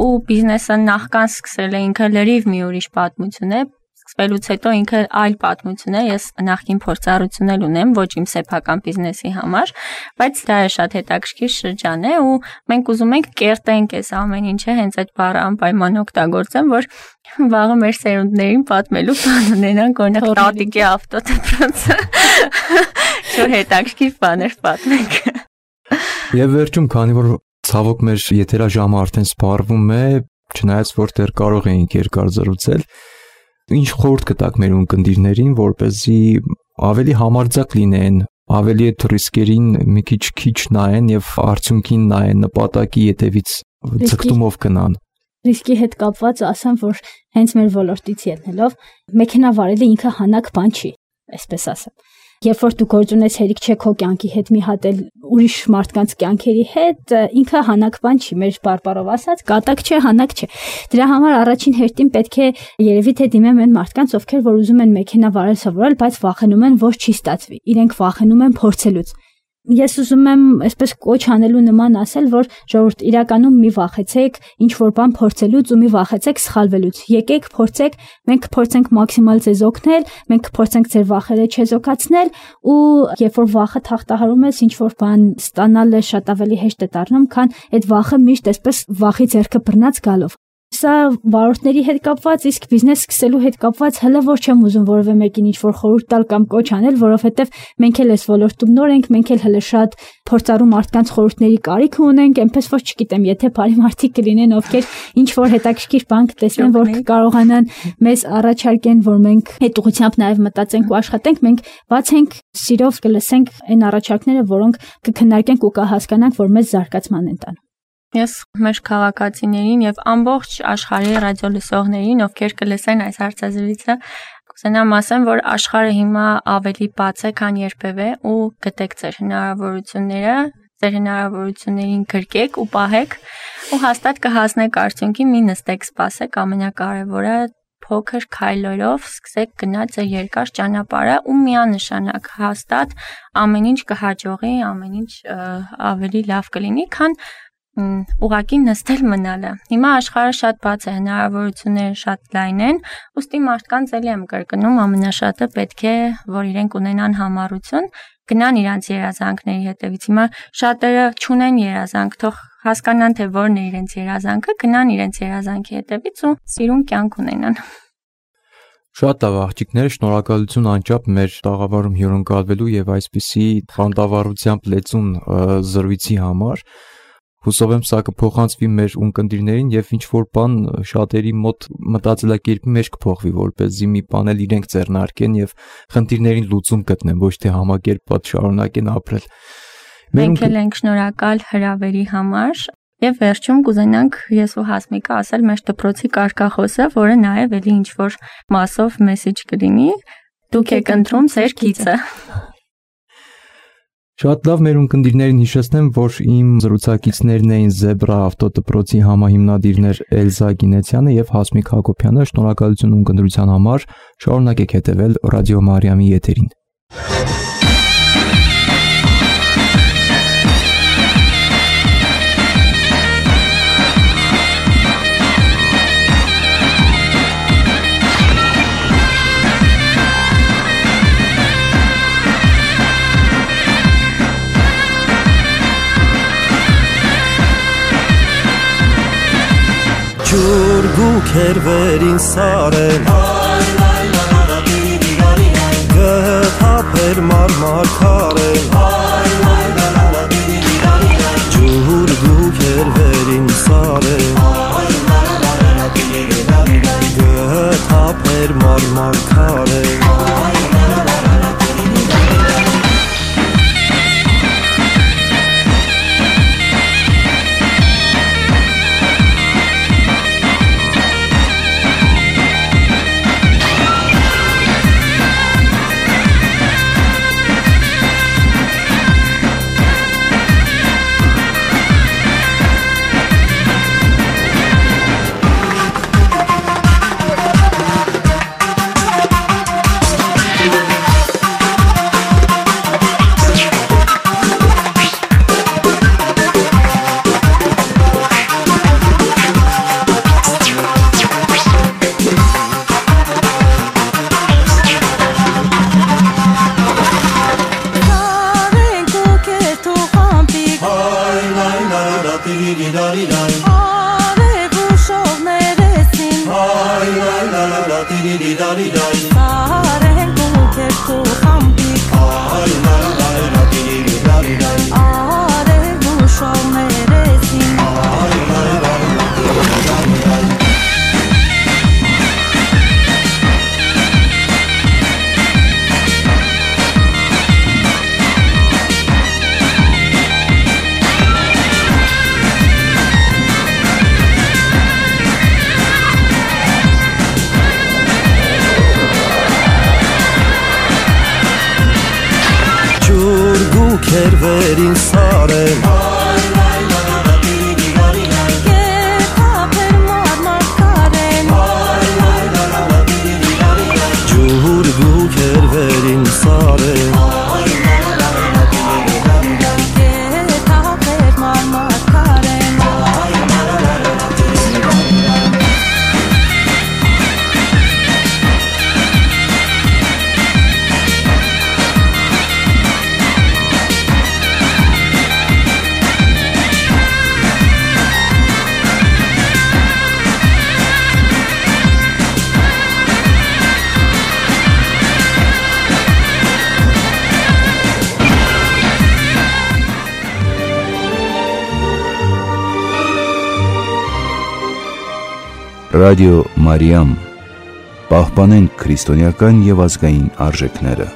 ու բիզնեսը նախքան սկսել է ինքը լրիվ մի ուրիշ պատմություն է, Սկսվելուց հետո ինքը այլ պատմություն է, ես նախկին փորձառություն էլ ունեմ, ոչ իմ սեփական բիզնեսի համար, բայց դա է շատ հետաքրքիր շրջան է ու մենք ուզում ենք կերտենք այս ամեն ինչը հենց այդ բառը անպայման օգտագործեմ, որ վաղը մեր սերունդներին պատմելու բան ունենանք, օրինակ տատիկի ավտոդպրոցը, շո հետաքրքիր բաներ պատմենք։ Եվ վերջում, քանի որ ցավոք մեր եթերաժամը արդեն սպառվում է, չնայած որ դեռ կարող էինք երկար զրուցել, Ինչ խորհուրդ կտաք մեր ունկնդիրներին, որպեսզի ավելի համարձակ լինեն, ավելի այդ ռիսկերին մի քիչ քիչ նայեն եւ արդյունքին նայեն, նպատակի ետևից ձգտումով գնան։ Ռիսկի հետ կապված ասեմ, որ հենց մեր ոլորտից ելնելով մեքենա վարելը ինքը հանակ բան չի, այսպես ասեմ։ Երբ որ դու գործ ունես հերիք չէ քո կյանքի հետ մի հատ էլ ուրիշ մարդկանց կյանքերի հետ, ինքը հանակ բան չի, մեր բարբառով ասած, կատակ չէ, հանակ չէ։ Դրա համար առաջին հերթին պետք է երևի թե դիմեմ այն մարդկանց, ովքեր որ ուզում են մեքենա վարել սովորել, բայց վախենում են, որ չի ստացվի։ Իրենք վախենում են փորձելուց։ Ես ուզում եմ այսպես կոչ անելու նման ասել, որ ժողովուրդ իրականում մի վախեցեք ինչ որ բան փորձելուց ու մի վախեցեք սխալվելուց։ Եկեք փորձեք, մենք կփորձենք մաքսիմալ ձեզ օգնել, մենք կփորձենք ձեր վախերը չեզոքացնել ու երբ որ վախը թախտահարում ես, ինչ որ բան ստանալը շատ ավելի հեշտ է դառնում, քան այդ վախը միշտ այսպես վախի ձեռքը բռնած գալով։ Սա վարորդների հետ կապված, իսկ բիզնես սկսելու հետ կապված հələ որ չեմ ուզում որևէ մեկին ինչ-որ խորհուրդ տալ կամ կոչ անել, որովհետև մենք էլ էս ոլորտում նոր ենք, մենք էլ հələ շատ փորձառու մարդկանց խորհուրդների կարիք ունենք, այնպես որ չգիտեմ, եթե բարի մարդիկ կլինեն, ովքեր ինչ-որ հետաքրքիր բան կտեսնեն, որ կկարողանան մեզ առաջարկեն, որ մենք այդ ուղղությամբ նաև մտածենք ու աշխատենք, մենք բաց ենք, սիրով կլսենք այն առաջարկները, որոնք կքննարկենք ու կհասկանանք, որ մեզ զարգացման են տանում։ Ես մեր քաղաքացիներին եւ ամբողջ աշխարհի ռադիոլսողներին, ովքեր կլսեն այս հարցազրույցը, կուզենամ ասեմ, որ աշխարհը հիմա ավելի բաց է, քան երբևէ ու գտեք ձեր հնարավորությունները, ձեր հնարավորություններին գրկեք ու պահեք ու հաստատ կհասնեք արդյունքի, մի նստեք, սպասեք, ամենակարևորը փոքր քայլերով սկսեք գնալ ձեր երկար ճանապարհը ու միանշանակ հաստատ ամեն ինչ կհաջողի, ամեն ինչ ավելի լավ կլինի, քան ուղղակի նստել մնալը։ Հիմա աշխարհը շատ բաց է, հնարավորությունները շատ լայն են, ուստի մարդկանց էլի եմ կրկնում, ամենաշատը պետք է, որ իրենք ունենան համառություն, գնան իրանց երազանքների հետևից։ Հիմա շատերը չունեն երազանք, թող հասկանան, թե որն է իրենց երազանքը, գնան իրենց երազանքի հետևից ու սիրուն կյանք ունենան։ Շատ լավ աղջիկներ, շնորհակալություն անչափ մեր տաղավարում հյուրընկալվելու եւ այսպիսի խանդավառությամբ լեցուն զրույցի համար։ Հուսով եմ սա կփոխանցվի մեր ունկնդիրներին եւ ինչ որ բան շատերի մոտ մտածելակերպի մեջ կփոխվի, որպեսզի մի բան էլ իրենք ձեռնարկեն եւ խնդիրներին լուծում գտնեն, ոչ թե համակերպված շարունակեն ապրել։ Մենք էլ ենք շնորհակալ հրավերի համար եւ վերջում կուզենանք ես ու Հասմիկը ասել մեր դպրոցի կարգախոսը, որը նաեւ էլի ինչ որ մասով մեսեջ կլինի։ Դուք եք ընտրում ձեր գիծը։ Շատ լավ, մեր ունկնդիրներին հիշեցնեմ, որ իմ զրուցակիցներն էին Զեբրա ավտոդպրոցի համահիմնադիրներ Էլզա Գինեցյանը եւ Հասմիկ Հակոբյանը։ Շնորհակալություն ունկնդրության համար։ Շարունակեք հետեւել Ռադիո Մարիամի եթերին։ Ջուր գուքեր վերին սարեն Գհապեր մարմար քարեն Ջուր գուքեր վերին սարեն Գհապեր մարմար քարեն քերվերին սարեն ջուր գու քերվերին սարեն Ռադիո Մարիամ, պահպանենք քրիստոնեական եւ ազգային արժեքները։